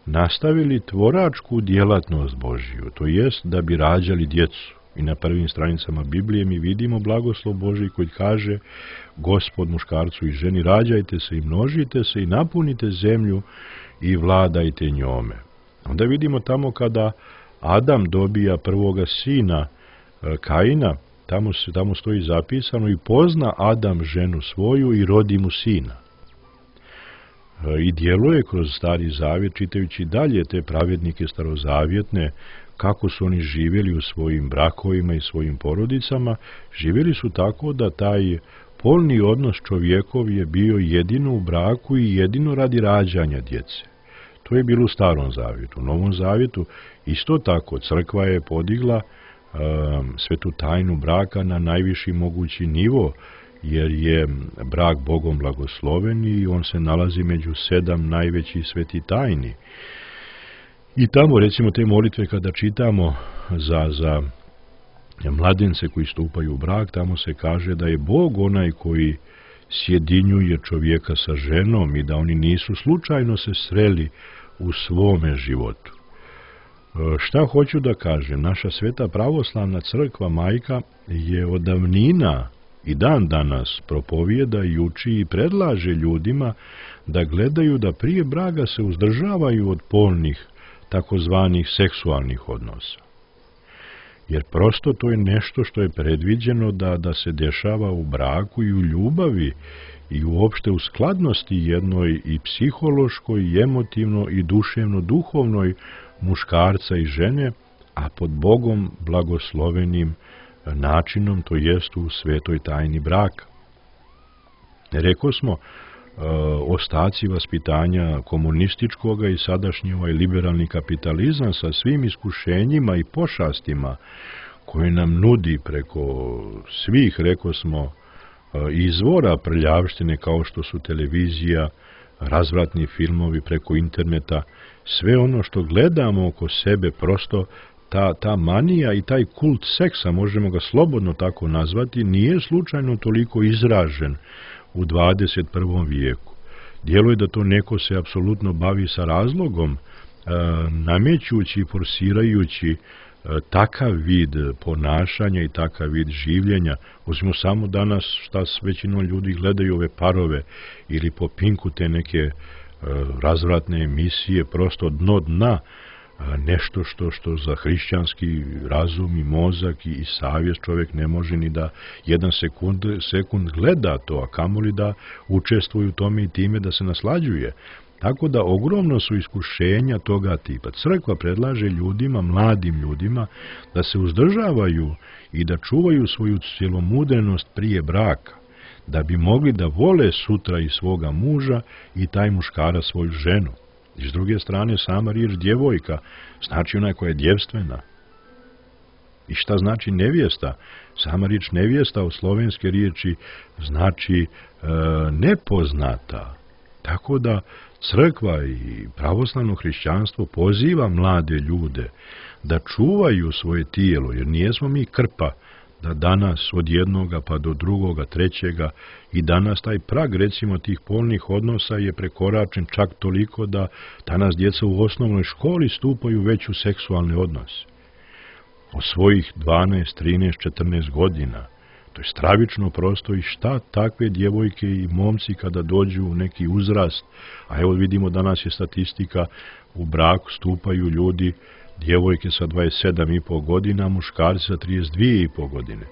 nastavili tvoračku djelatnost Božju, to jest da bi rađali djecu. I na prvim stranicama Biblije mi vidimo blagoslov Božji koji kaže: Gospod muškarcu i ženi, rađajte se i množite se i napunite zemlju i vladajte njome. Onda vidimo tamo kada Adam dobija prvoga sina Kaina, tamo stoji zapisano: i pozna Adam ženu svoju i rodi mu sina. I djeluje kroz Stari zavjet, čitajući dalje te pravednike starozavjetne, kako su oni živjeli u svojim brakovima i svojim porodicama. Živjeli su tako da taj polni odnos čovjekov je bio jedino u braku i jedino radi rađanja djece. To je bilo u Starom zavjetu. U Novom zavjetu isto tako crkva je podigla svetu tajnu braka na najviši mogući nivo, jer je brak Bogom blagosloven i on se nalazi među 7 najvećih sveti tajni. I tamo, recimo, te molitve kada čitamo za mladence koji stupaju u brak, tamo se kaže da je Bog onaj koji sjedinjuje čovjeka sa ženom i da oni nisu slučajno se sreli u svome životu. Šta hoću da kažem? Naša sveta pravoslavna crkva majka je od davnina i dan danas propovijeda i uči i predlaže ljudima da gledaju da prije braka se uzdržavaju od polnih, takozvanih seksualnih odnosa. Jer prosto to je nešto što je predviđeno da se dešava u braku i u ljubavi i uopšte u skladnosti jednoj i psihološkoj, i emotivno, i duševno-duhovnoj muškarca i žene, a pod Bogom blagoslovenim načinom, to jest u svetoj tajni braka. Rekao smo, ostaci vaspitanja komunističkoga i sadašnji liberalni kapitalizam sa svim iskušenjima i pošastima koje nam nudi preko svih, rekao smo, izvora prljavštine kao što su televizija, razvratni filmovi preko interneta, sve ono što gledamo oko sebe, prosto ta manija i taj kult seksa, možemo ga slobodno tako nazvati, nije slučajno toliko izražen u 21. vijeku. Djeluje da to neko se apsolutno bavi sa razlogom, namećući i forsirajući takav vid ponašanja i takav vid življenja. Uzmimo samo danas šta s većinom ljudi gledaju ove parove ili po Pinku te neke razvratne emisije, prosto dno dna, nešto što za hrišćanski razum i mozak i savjest čovjek ne može ni da jedan sekund gleda to, a kamoli da učestvuje u tome i time da se naslađuje. Tako da ogromno su iskušenja toga tipa. Crkva predlaže ljudima, mladim ljudima, da se uzdržavaju i da čuvaju svoju cjelomudrenost prije braka, da bi mogli da vole sutra i svoga muža i taj muškara svoju ženu. I s druge strane, sama riječ djevojka znači ona koja je djevstvena. I šta znači nevjesta? Sama riječ nevjesta u slovenske riječi znači nepoznata. Tako da crkva i pravoslavno hrišćanstvo poziva mlade ljude da čuvaju svoje tijelo, jer nijesmo mi krpa da danas od jednoga pa do drugoga, trećega i danas taj prag, recimo, tih polnih odnosa je prekoračen čak toliko da danas djeca u osnovnoj školi stupaju već u seksualne odnose. Od svojih 12, 13, 14 godina. To je stravično prosto i šta takve djevojke i momci kada dođu u neki uzrast, a evo vidimo danas je statistika, u brak stupaju ljudi, djevojke sa 27,5 godina, muškarci sa 32,5 godine.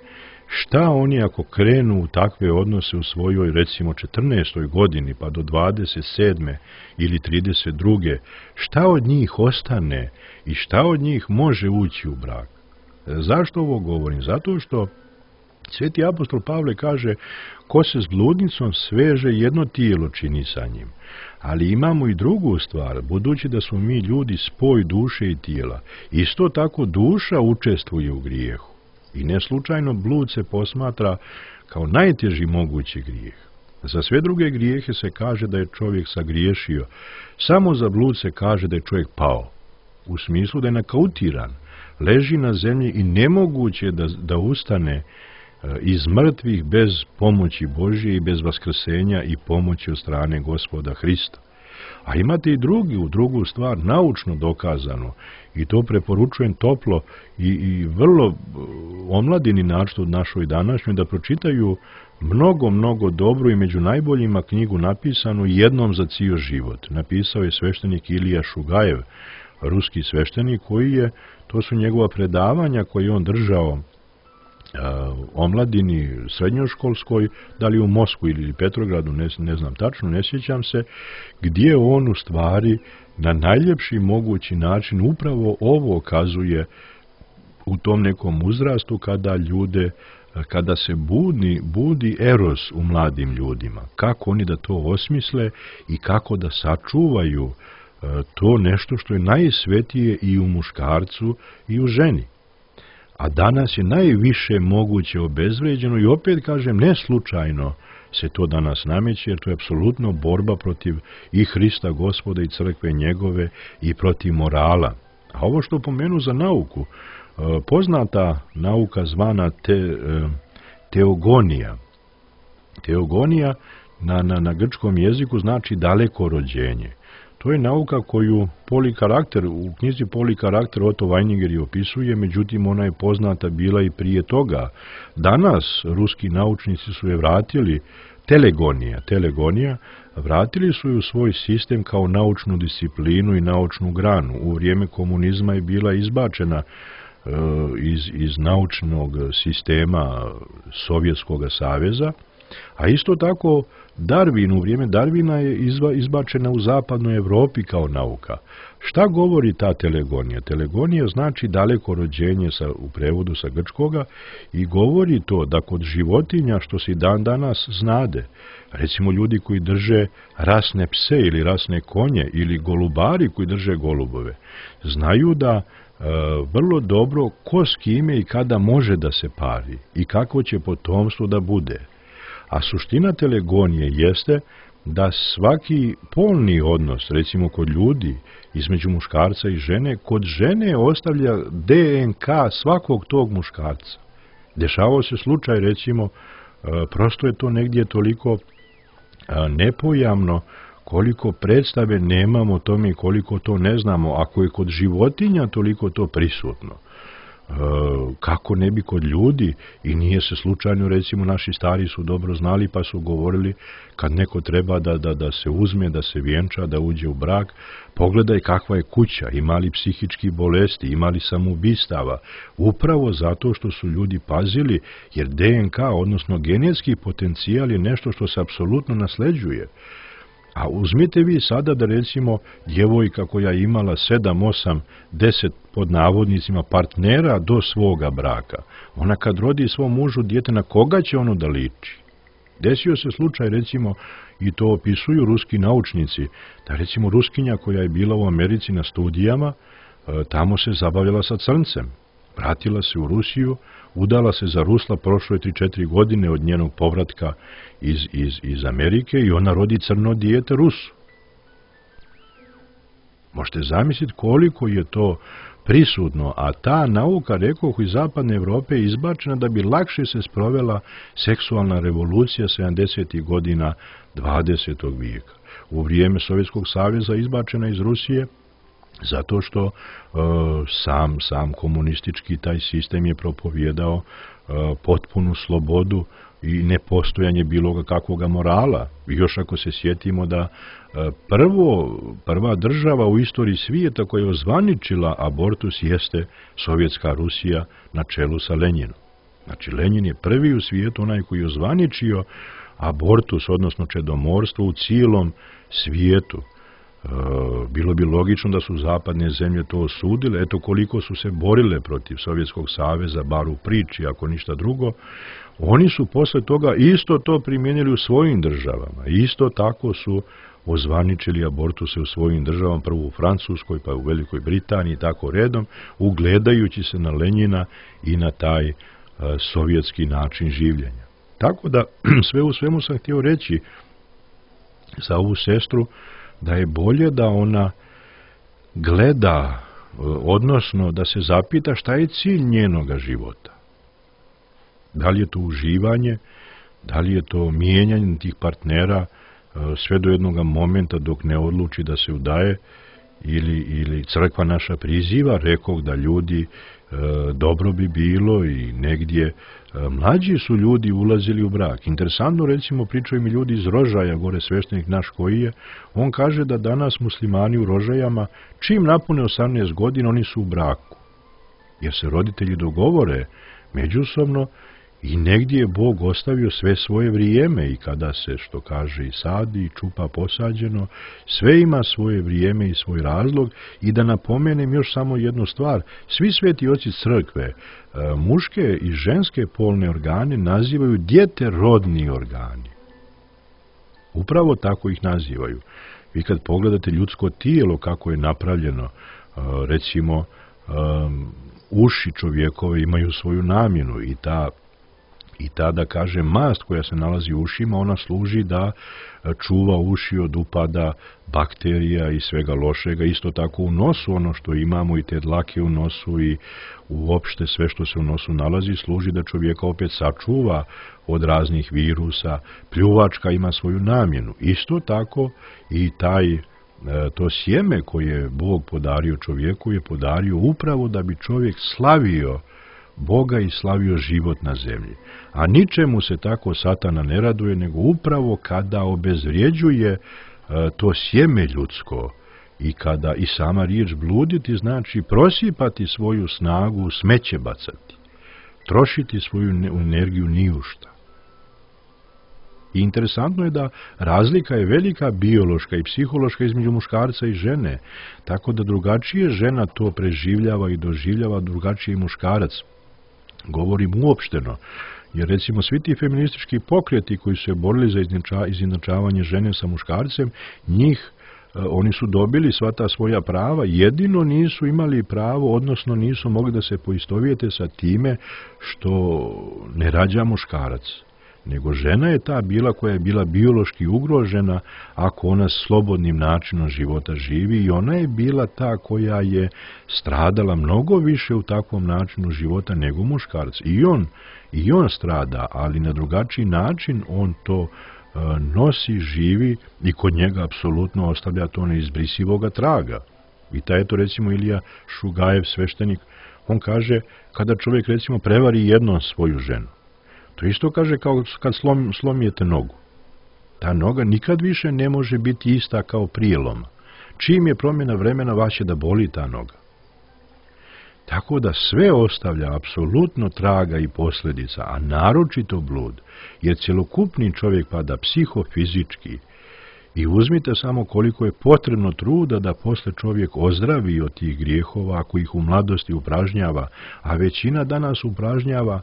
Šta oni ako krenu u takve odnose u svojoj, recimo, 14. godini pa do 27. ili 32. Šta od njih ostane i šta od njih može ući u brak? Zašto ovo govorim? Zato što Sveti apostol Pavle kaže, ko se s bludnicom sveže, jedno tijelo čini sa njim. Ali imamo i drugu stvar, budući da smo mi ljudi spoj duše i tijela. Isto tako duša učestvuje u grijehu. I ne slučajno blud se posmatra kao najteži mogući grijeh. Za sve druge grijehe se kaže da je čovjek sagriješio. Samo za blud se kaže da je čovjek pao. U smislu da je nakautiran, leži na zemlji i nemoguće je da ustane iz mrtvih bez pomoći Božje i bez vaskrsenja i pomoći od strane Gospoda Hrista. A imate i drugu stvar, naučno dokazano, i to preporučujem toplo i vrlo omladini našto našoj današnjoj, da pročitaju mnogo dobru i među najboljima knjigu napisanu Jednom za cijel život. Napisao je sveštenik Ilija Šugajev, ruski sveštenik, to su njegova predavanja koje on držao omladini srednjoškolskoj, da li u Moskvu ili Petrogradu, ne znam tačno, ne sjećam se, gdje on u stvari na najljepši mogući način upravo ovo okazuje u tom nekom uzrastu kada se budi eros u mladim ljudima. Kako oni da to osmisle i kako da sačuvaju to nešto što je najsvetije i u muškarcu i u ženi. A danas je najviše moguće obezvređeno i opet kažem, ne slučajno se to danas nameće, jer to je apsolutno borba protiv i Hrista Gospoda i crkve njegove i protiv morala. A ovo što pomenu za nauku, poznata nauka zvana teogonija. Teogonija na grčkom jeziku znači daleko rođenje. To je nauka koju Polikarakter, u knjizi Polikarakter Otto Weininger opisuje, međutim ona je poznata bila i prije toga. Danas ruski naučnici su je vratili, telegonija, vratili su ju u svoj sistem kao naučnu disciplinu i naučnu granu. U vrijeme komunizma je bila izbačena iz naučnog sistema Sovjetskog saveza, a isto tako u vrijeme Darwina je izbačena u zapadnoj Europi kao nauka. Šta govori ta telegonija? Telegonija znači daleko rođenje u prevodu sa grčkoga i govori to da kod životinja, što se dan danas znade, recimo ljudi koji drže rasne pse ili rasne konje ili golubari koji drže golubove, znaju da vrlo dobro ko s kime i kada može da se pari i kako će potomstvo da bude. A suština telegonije jeste da svaki polni odnos, recimo kod ljudi, između muškarca i žene, kod žene ostavlja DNK svakog tog muškarca. Dešavao se slučaj, recimo, prosto je to negdje toliko nepojamno, koliko predstave nemamo o tome i koliko to ne znamo, ako je kod životinja toliko to prisutno. Kako ne bi kod ljudi, i nije se slučajno, recimo naši stari su dobro znali pa su govorili kad neko treba da se uzme, da se vjenča, da uđe u brak, pogledaj kakva je kuća, imali psihički bolesti, imali samoubistava, upravo zato što su ljudi pazili, jer DNK, odnosno genetski potencijal je nešto što se apsolutno nasleđuje. A uzmite vi sada da recimo djevojka koja je imala 7, 8, 10 pod navodnicima partnera do svoga braka, ona kad rodi svom mužu dijete, na koga će ono da liči? Desio se slučaj, recimo, i to opisuju ruski naučnici, da recimo Ruskinja koja je bila u Americi na studijama, tamo se zabavljala sa crncem. Vratila se u Rusiju, udala se za Rusla, prošlo je 3-4 godine od njenog povratka iz Amerike i ona rodi crno dijete Rusu. Možete zamisliti koliko je to prisutno, a ta nauka, rekoh, iz zapadne Evrope je izbačena da bi lakše se sprovela seksualna revolucija 70. godina 20. vijeka. U vrijeme Sovjetskog saveza izbačena iz Rusije, zato što sam komunistički taj sistem je propovjedao potpunu slobodu i nepostojanje bilo kakvoga morala. I još ako se sjetimo da prva država u istoriji svijeta koja je ozvaničila abortus jeste Sovjetska Rusija na čelu sa Lenjinom. Znači Lenjin je prvi u svijetu onaj koji je ozvaničio abortus, odnosno čedomorstvo u cijelom svijetu. Bilo bi logično da su zapadne zemlje to osudile, eto koliko su se borile protiv Sovjetskog saveza, bar u priči, ako ništa drugo. Oni su posle toga isto to primijenili u svojim državama. Isto tako su ozvaničili abortuse u svojim državama, prvo u Francuskoj, pa u Velikoj Britaniji, tako redom, ugledajući se na Lenjina i na taj sovjetski način življenja. Tako da, sve u svemu sam htio reći za ovu sestru, da je bolje da ona gleda, odnosno da se zapita šta je cilj njenoga života. Da li je to uživanje, da li je to mijenjanje tih partnera sve do jednog momenta dok ne odluči da se udaje, ili crkva naša priziva, rekoh da ljudi, dobro bi bilo i negdje mlađi su ljudi ulazili u brak. Interesantno, recimo, pričaju mi ljudi iz Rožaja, gore sveštenik naš koji je, on kaže da danas muslimani u Rožajama, čim napune 18 godina, oni su u braku. Jer se roditelji dogovore međusobno i negdje je Bog ostavio sve svoje vrijeme i kada se, što kaže, i sadi i čupa posađeno, sve ima svoje vrijeme i svoj razlog. I da napomenem još samo jednu stvar, svi sveti oci crkve muške i ženske polne organe nazivaju djeterodni organi. Upravo tako ih nazivaju. Vi kad pogledate ljudsko tijelo kako je napravljeno, recimo uši čovjekove imaju svoju namjenu i ta, da kažem, mast koja se nalazi u ušima, ona služi da čuva uši od upada bakterija i svega lošega. Isto tako u nosu, ono što imamo i te dlake u nosu i uopšte sve što se u nosu nalazi, služi da čovjeka opet sačuva od raznih virusa. Pljuvačka ima svoju namjenu. Isto tako i to sjeme koje je Bog podario čovjeku je podario upravo da bi čovjek slavio Boga i slavio život na zemlji. A ničemu se tako Satana ne raduje, nego upravo kada obezvrijeđuje to sjeme ljudsko i kada i sama riječ bluditi znači prosipati svoju snagu, u smeće bacati, trošiti svoju energiju ni u šta. I interesantno je da razlika je velika biološka i psihološka između muškarca i žene, tako da drugačije žena to preživljava i doživljava, drugačije i muškarac. Govorim uopšteno, jer recimo svi ti feministički pokreti koji su se borili za izjednačavanje žene sa muškarcem, oni su dobili sva ta svoja prava, jedino nisu imali pravo, odnosno nisu mogli da se poistovijete sa time što ne rađa muškarac, nego žena je ta bila koja je bila biološki ugrožena ako ona slobodnim načinom života živi, i ona je bila ta koja je stradala mnogo više u takvom načinu života nego muškarac. I on strada, ali na drugačiji način on to nosi, živi i kod njega apsolutno ostavlja to neizbrisivoga traga. I taj je to recimo Ilija Šugajev, sveštenik, on kaže kada čovjek recimo prevari jednom svoju ženu, to isto kaže kao kad slomijete nogu. Ta noga nikad više ne može biti ista kao prije loma. Čim je promjena vremena, vas će da boli ta noga. Tako da sve ostavlja apsolutno traga i posljedica, a naročito blud, jer cjelokupni čovjek pada psihofizički. I uzmite samo koliko je potrebno truda da posle čovjek ozdravi od tih grijehova ako ih u mladosti upražnjava, a većina danas upražnjava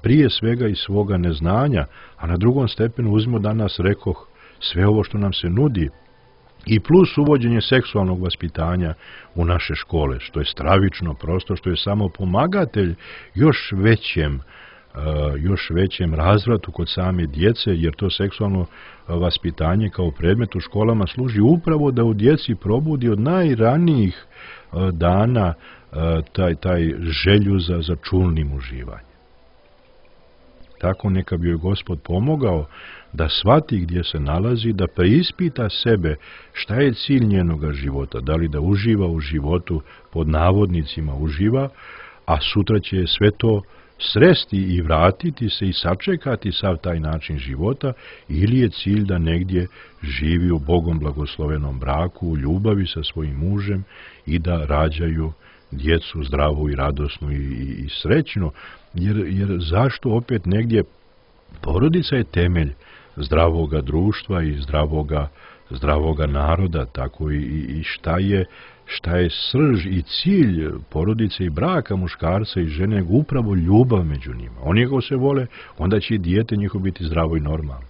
prije svega iz svoga neznanja, a na drugom stepenu uzmimo danas, rekoh, sve ovo što nam se nudi i plus uvođenje seksualnog vaspitanja u naše škole, što je stravično prosto, što je samo pomagatelj još većem razvratu kod same djece, jer to seksualno vaspitanje kao predmet u školama služi upravo da u djeci probudi od najranijih dana taj želju za čulnim uživanjem. Tako neka bi joj Gospod pomogao da shvati gdje se nalazi, da preispita sebe šta je cilj njenoga života, da li da uživa u životu, pod navodnicima uživa, a sutra će sve to sresti i vratiti se i sačekati sav taj način života, ili je cilj da negdje živi u Bogom blagoslovenom braku, u ljubavi sa svojim mužem i da rađaju djecu zdravu i radosnu i srećnu, jer zašto opet negdje porodica je temelj zdravoga društva i zdravoga zdravoga naroda, tako i šta je srž i cilj porodice i braka muškarca i žene, upravo ljubav među njima. Oni ako se vole, onda će i dijete njihovo biti zdravo i normalno.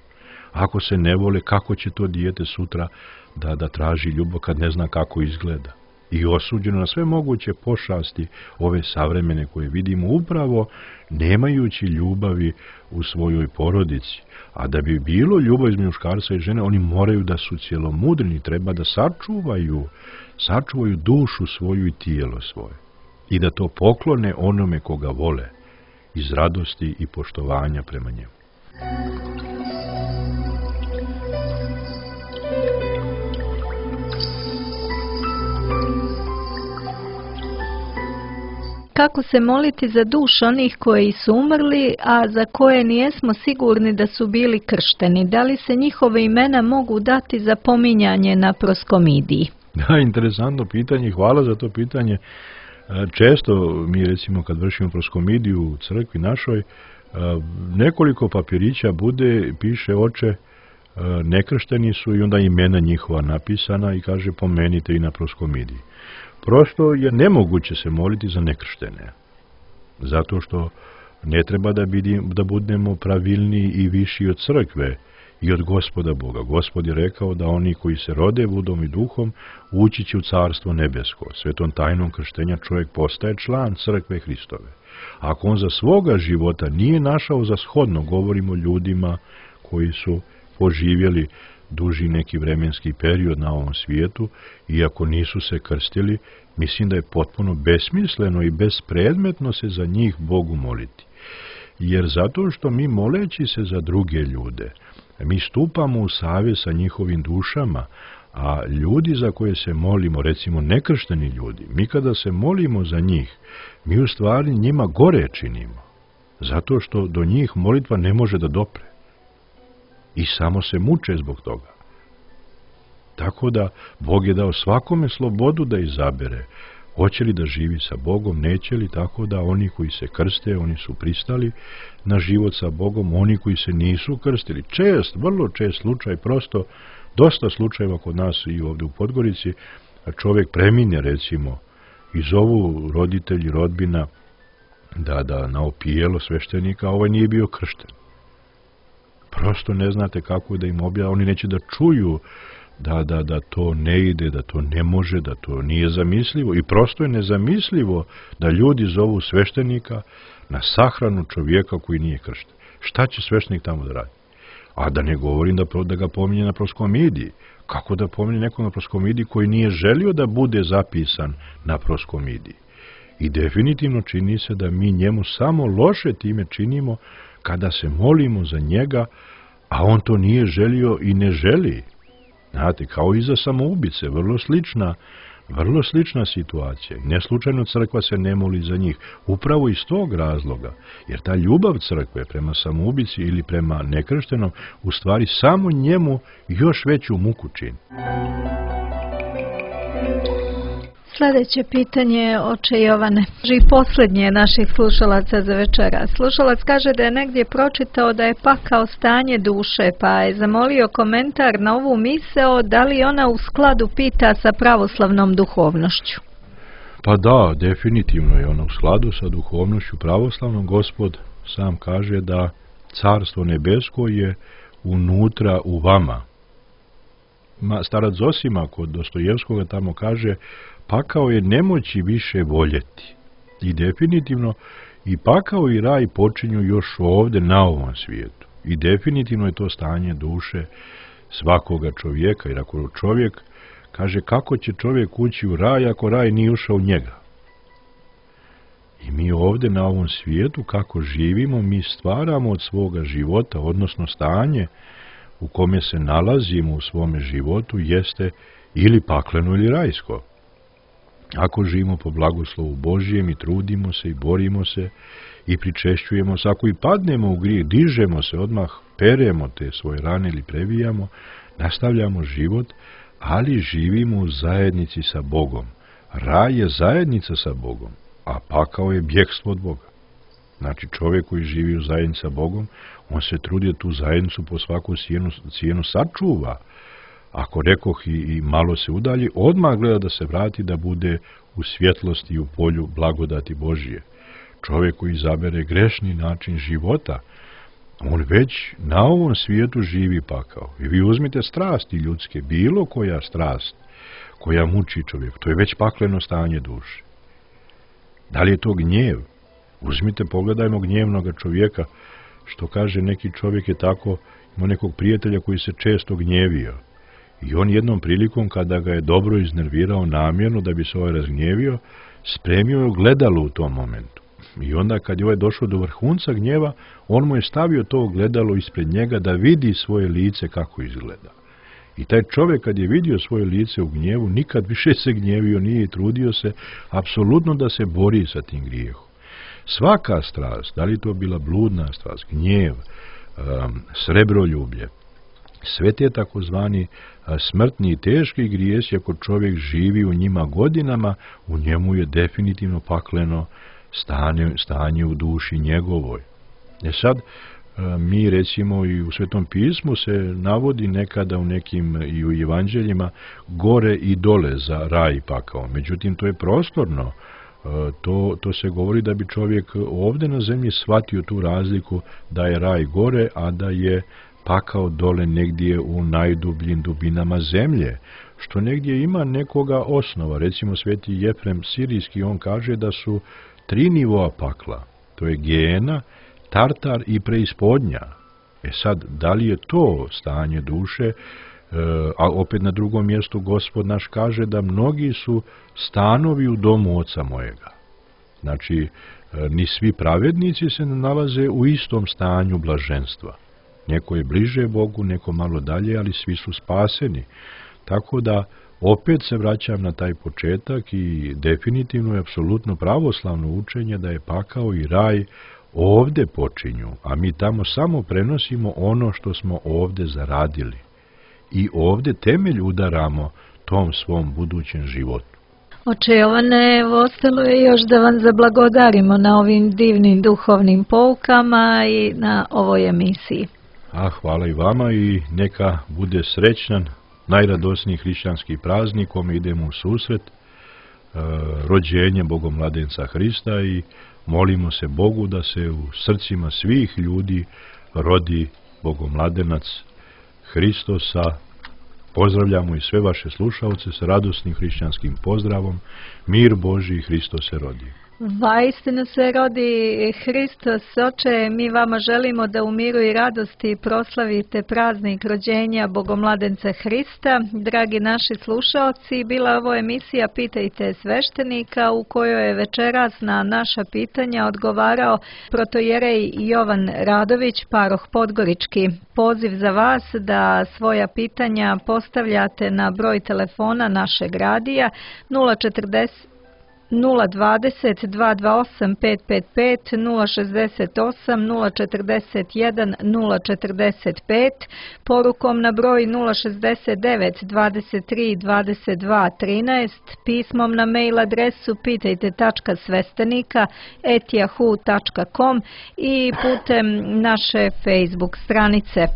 Ako se ne vole, kako će to dijete sutra da traži ljubav kad ne zna kako izgleda? I osuđeno na sve moguće pošasti ove savremene koje vidimo upravo nemajući ljubavi u svojoj porodici. A da bi bilo ljubav između muškarca i žene, oni moraju da su cjelomudrni, treba da sačuvaju dušu svoju i tijelo svoje. I da to poklone onome koga vole, iz radosti i poštovanja prema njemu. Kako se moliti za duše onih koji su umrli, a za koje nijesmo sigurni da su bili kršteni? Da li se njihove imena mogu dati za pominjanje na proskomidiji? Da, interesantno pitanje, hvala za to pitanje. Često mi, recimo, kad vršimo proskomidiju u crkvi našoj, nekoliko papirića piše oče, nekršteni su, i onda imena njihova napisana i kaže pomenite i na proskomidiji. Prosto je nemoguće se moliti za nekrštene, zato što ne treba da budemo pravilniji i viši od crkve i od Gospoda Boga. Gospod je rekao da oni koji se rode vodom i duhom ući će u carstvo nebesko. Svetom tajnom krštenja čovjek postaje član crkve Hristove. Ako on za svoga života nije našao za shodno, govorimo ljudima koji su poživjeli duži neki vremenski period na ovom svijetu, iako nisu se krstili, mislim da je potpuno besmisleno i bespredmetno se za njih Bogu moliti. Jer zato što mi moleći se za druge ljude, mi stupamo u savez sa njihovim dušama, a ljudi za koje se molimo, recimo nekršteni ljudi, mi kada se molimo za njih, mi u stvari njima gore činimo, zato što do njih molitva ne može da dopre. I samo se muče zbog toga. Tako da Bog je dao svakome slobodu da izabere. Hoće li da živi sa Bogom, neće li, tako da oni koji se krste, oni su pristali na život sa Bogom, oni koji se nisu krstili. Vrlo čest slučaj, prosto dosta slučajeva kod nas i ovdje u Podgorici, čovjek premine, recimo, i zovu roditelji, rodbina da na opijelo sveštenika, ovaj nije bio kršten. Prosto ne znate kako da im objavljaju, oni neće da čuju da to ne ide, da to ne može, da to nije zamislivo. I prosto je nezamislivo da ljudi zovu sveštenika na sahranu čovjeka koji nije kršten. Šta će sveštenik tamo da radi? A da ne govorim da ga pominje na proskomidiji. Kako da pominje nekog na proskomidiji koji nije želio da bude zapisan na proskomidiji? I definitivno čini se da mi njemu samo loše time činimo kada se molimo za njega, a on to nije želio i ne želi. Znate, kao i za samoubice, vrlo slična situacija. Neslučajno crkva se ne moli za njih, upravo iz tog razloga, jer ta ljubav crkve prema samoubici ili prema nekrštenom u stvari samo njemu još veću muku čini. Sljedeće pitanje, oče Jovane, i posljednje naših slušalaca za večeras. Slušalac kaže da je negdje pročitao da je pakao stanje duše, pa je zamolio komentar na ovu misao, da li ona u skladu pita sa pravoslavnom duhovnošću. Pa da, definitivno je ona u skladu sa duhovnošću pravoslavnom. Gospod sam kaže da carstvo nebesko je unutra u vama. Starac Zosima kod Dostojevskoga tamo kaže: pakao je nemoći više voljeti. I definitivno i pakao i raj počinju još ovdje na ovom svijetu. I definitivno je to stanje duše svakoga čovjeka. Jer ako čovjek kaže kako će čovjek ući u raj ako raj nije ušao u njega. I mi ovdje na ovom svijetu kako živimo, mi stvaramo od svoga života, odnosno stanje u kome se nalazimo u svome životu jeste ili pakleno ili rajsko. Ako živimo po blagoslovu Božijem i trudimo se i borimo se i pričešćujemo se, ako i padnemo u grijeh, dižemo se, odmah peremo te svoje rane ili previjamo, nastavljamo život, ali živimo u zajednici sa Bogom. Raj je zajednica sa Bogom, a pakao je bjegstvo od Boga. Znači čovjek koji živi u zajednici sa Bogom, on se trudi da tu zajednicu po svaku cijenu sačuva, ako rekoh i malo se udalji, odmah gleda da se vrati, da bude u svjetlosti i u polju blagodati Božije. Čovjek koji izabere grešni način života, on već na ovom svijetu živi pakao. I vi uzmite strasti ljudske, bilo koja strast koja muči čovjek, to je već pakleno stanje duše. Da li je to gnjev? Uzmite, pogledajmo gnjevnoga čovjeka, što kaže neki čovjek je tako, ima nekog prijatelja koji se često gnjevio. I on jednom prilikom, kada ga je dobro iznervirao namjerno da bi se ovaj razgnjevio, spremio je ogledalo u tom momentu. I onda kad je ovaj došao do vrhunca gnjeva, on mu je stavio to ogledalo ispred njega da vidi svoje lice kako izgleda. I taj čovjek kad je vidio svoje lice u gnjevu, nikad više se gnjevio nije i trudio se apsolutno da se bori sa tim grijehom. Svaka strast, da li to bila bludna strast, gnjev, srebroljublje, sve te takozvani smrtni i teški grijesi, ako čovjek živi u njima godinama, u njemu je definitivno pakleno stanje u duši njegovoj. Sad, mi recimo i u Svetom pismu se navodi nekada u nekim i u evanđeljima gore i dole za raj i pakao. Međutim, to je prostorno. To se govori da bi čovjek ovdje na zemlji shvatio tu razliku da je raj gore, a da je pakao dole negdje u najdubljim dubinama zemlje, što negdje ima nekoga osnova. Recimo sveti Jefrem Sirijski, on kaže da su 3 nivoa pakla, to je Gehena, Tartar i preispodnja. Sad, da li je to stanje duše, a opet na drugom mjestu Gospod naš kaže da mnogi su stanovi u domu oca mojega. Znači, ni svi pravednici se ne nalaze u istom stanju blaženstva. Neko je bliže Bogu, neko malo dalje, ali svi su spaseni. Tako da, opet se vraćam na taj početak i definitivno je apsolutno pravoslavno učenje da je pakao i raj ovdje počinju, a mi tamo samo prenosimo ono što smo ovdje zaradili. I ovdje temelj udaramo tom svom budućem životu. Oče Jovane, ostalo je još da vam zablagodarimo na ovim divnim duhovnim poukama i na ovoj emisiji. Hvala i vama i neka bude srećan, najradosniji hrišćanski praznik kome idemo u susret, rođenje Bogomladenca Hrista, i molimo se Bogu da se u srcima svih ljudi rodi Bogomladenac Hristosa. Pozdravljamo i sve vaše slušalce s radosnim hrišćanskim pozdravom. Mir Božji, Hristos se rodi. Vaistinu se rodi Hristos. Oče, mi vama želimo da u miru i radosti proslavite praznik rođenja Bogomladenca Hrista. Dragi naši slušalci, bila ovo emisija Pitajte sveštenika, u kojoj je večeras na naša pitanja odgovarao protojerej Jovan Radović, paroh Podgorički. Poziv za vas da svoja pitanja postavljate na broj telefona našeg radija 020 228 555, 068 041 045, porukom na broj 069 23 22 13, pismom na mail adresu pitajte.svestenika@yahoo.com i putem naše Facebook stranice.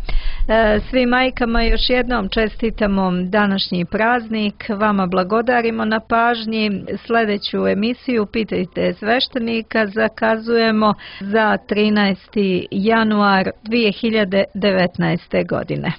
Svim majkama još jednom čestitamo današnji praznik, vama blagodarimo na pažnji. Sljedeću emisiju Pitajte sveštenika zakazujemo za 13. januar 2019. godine.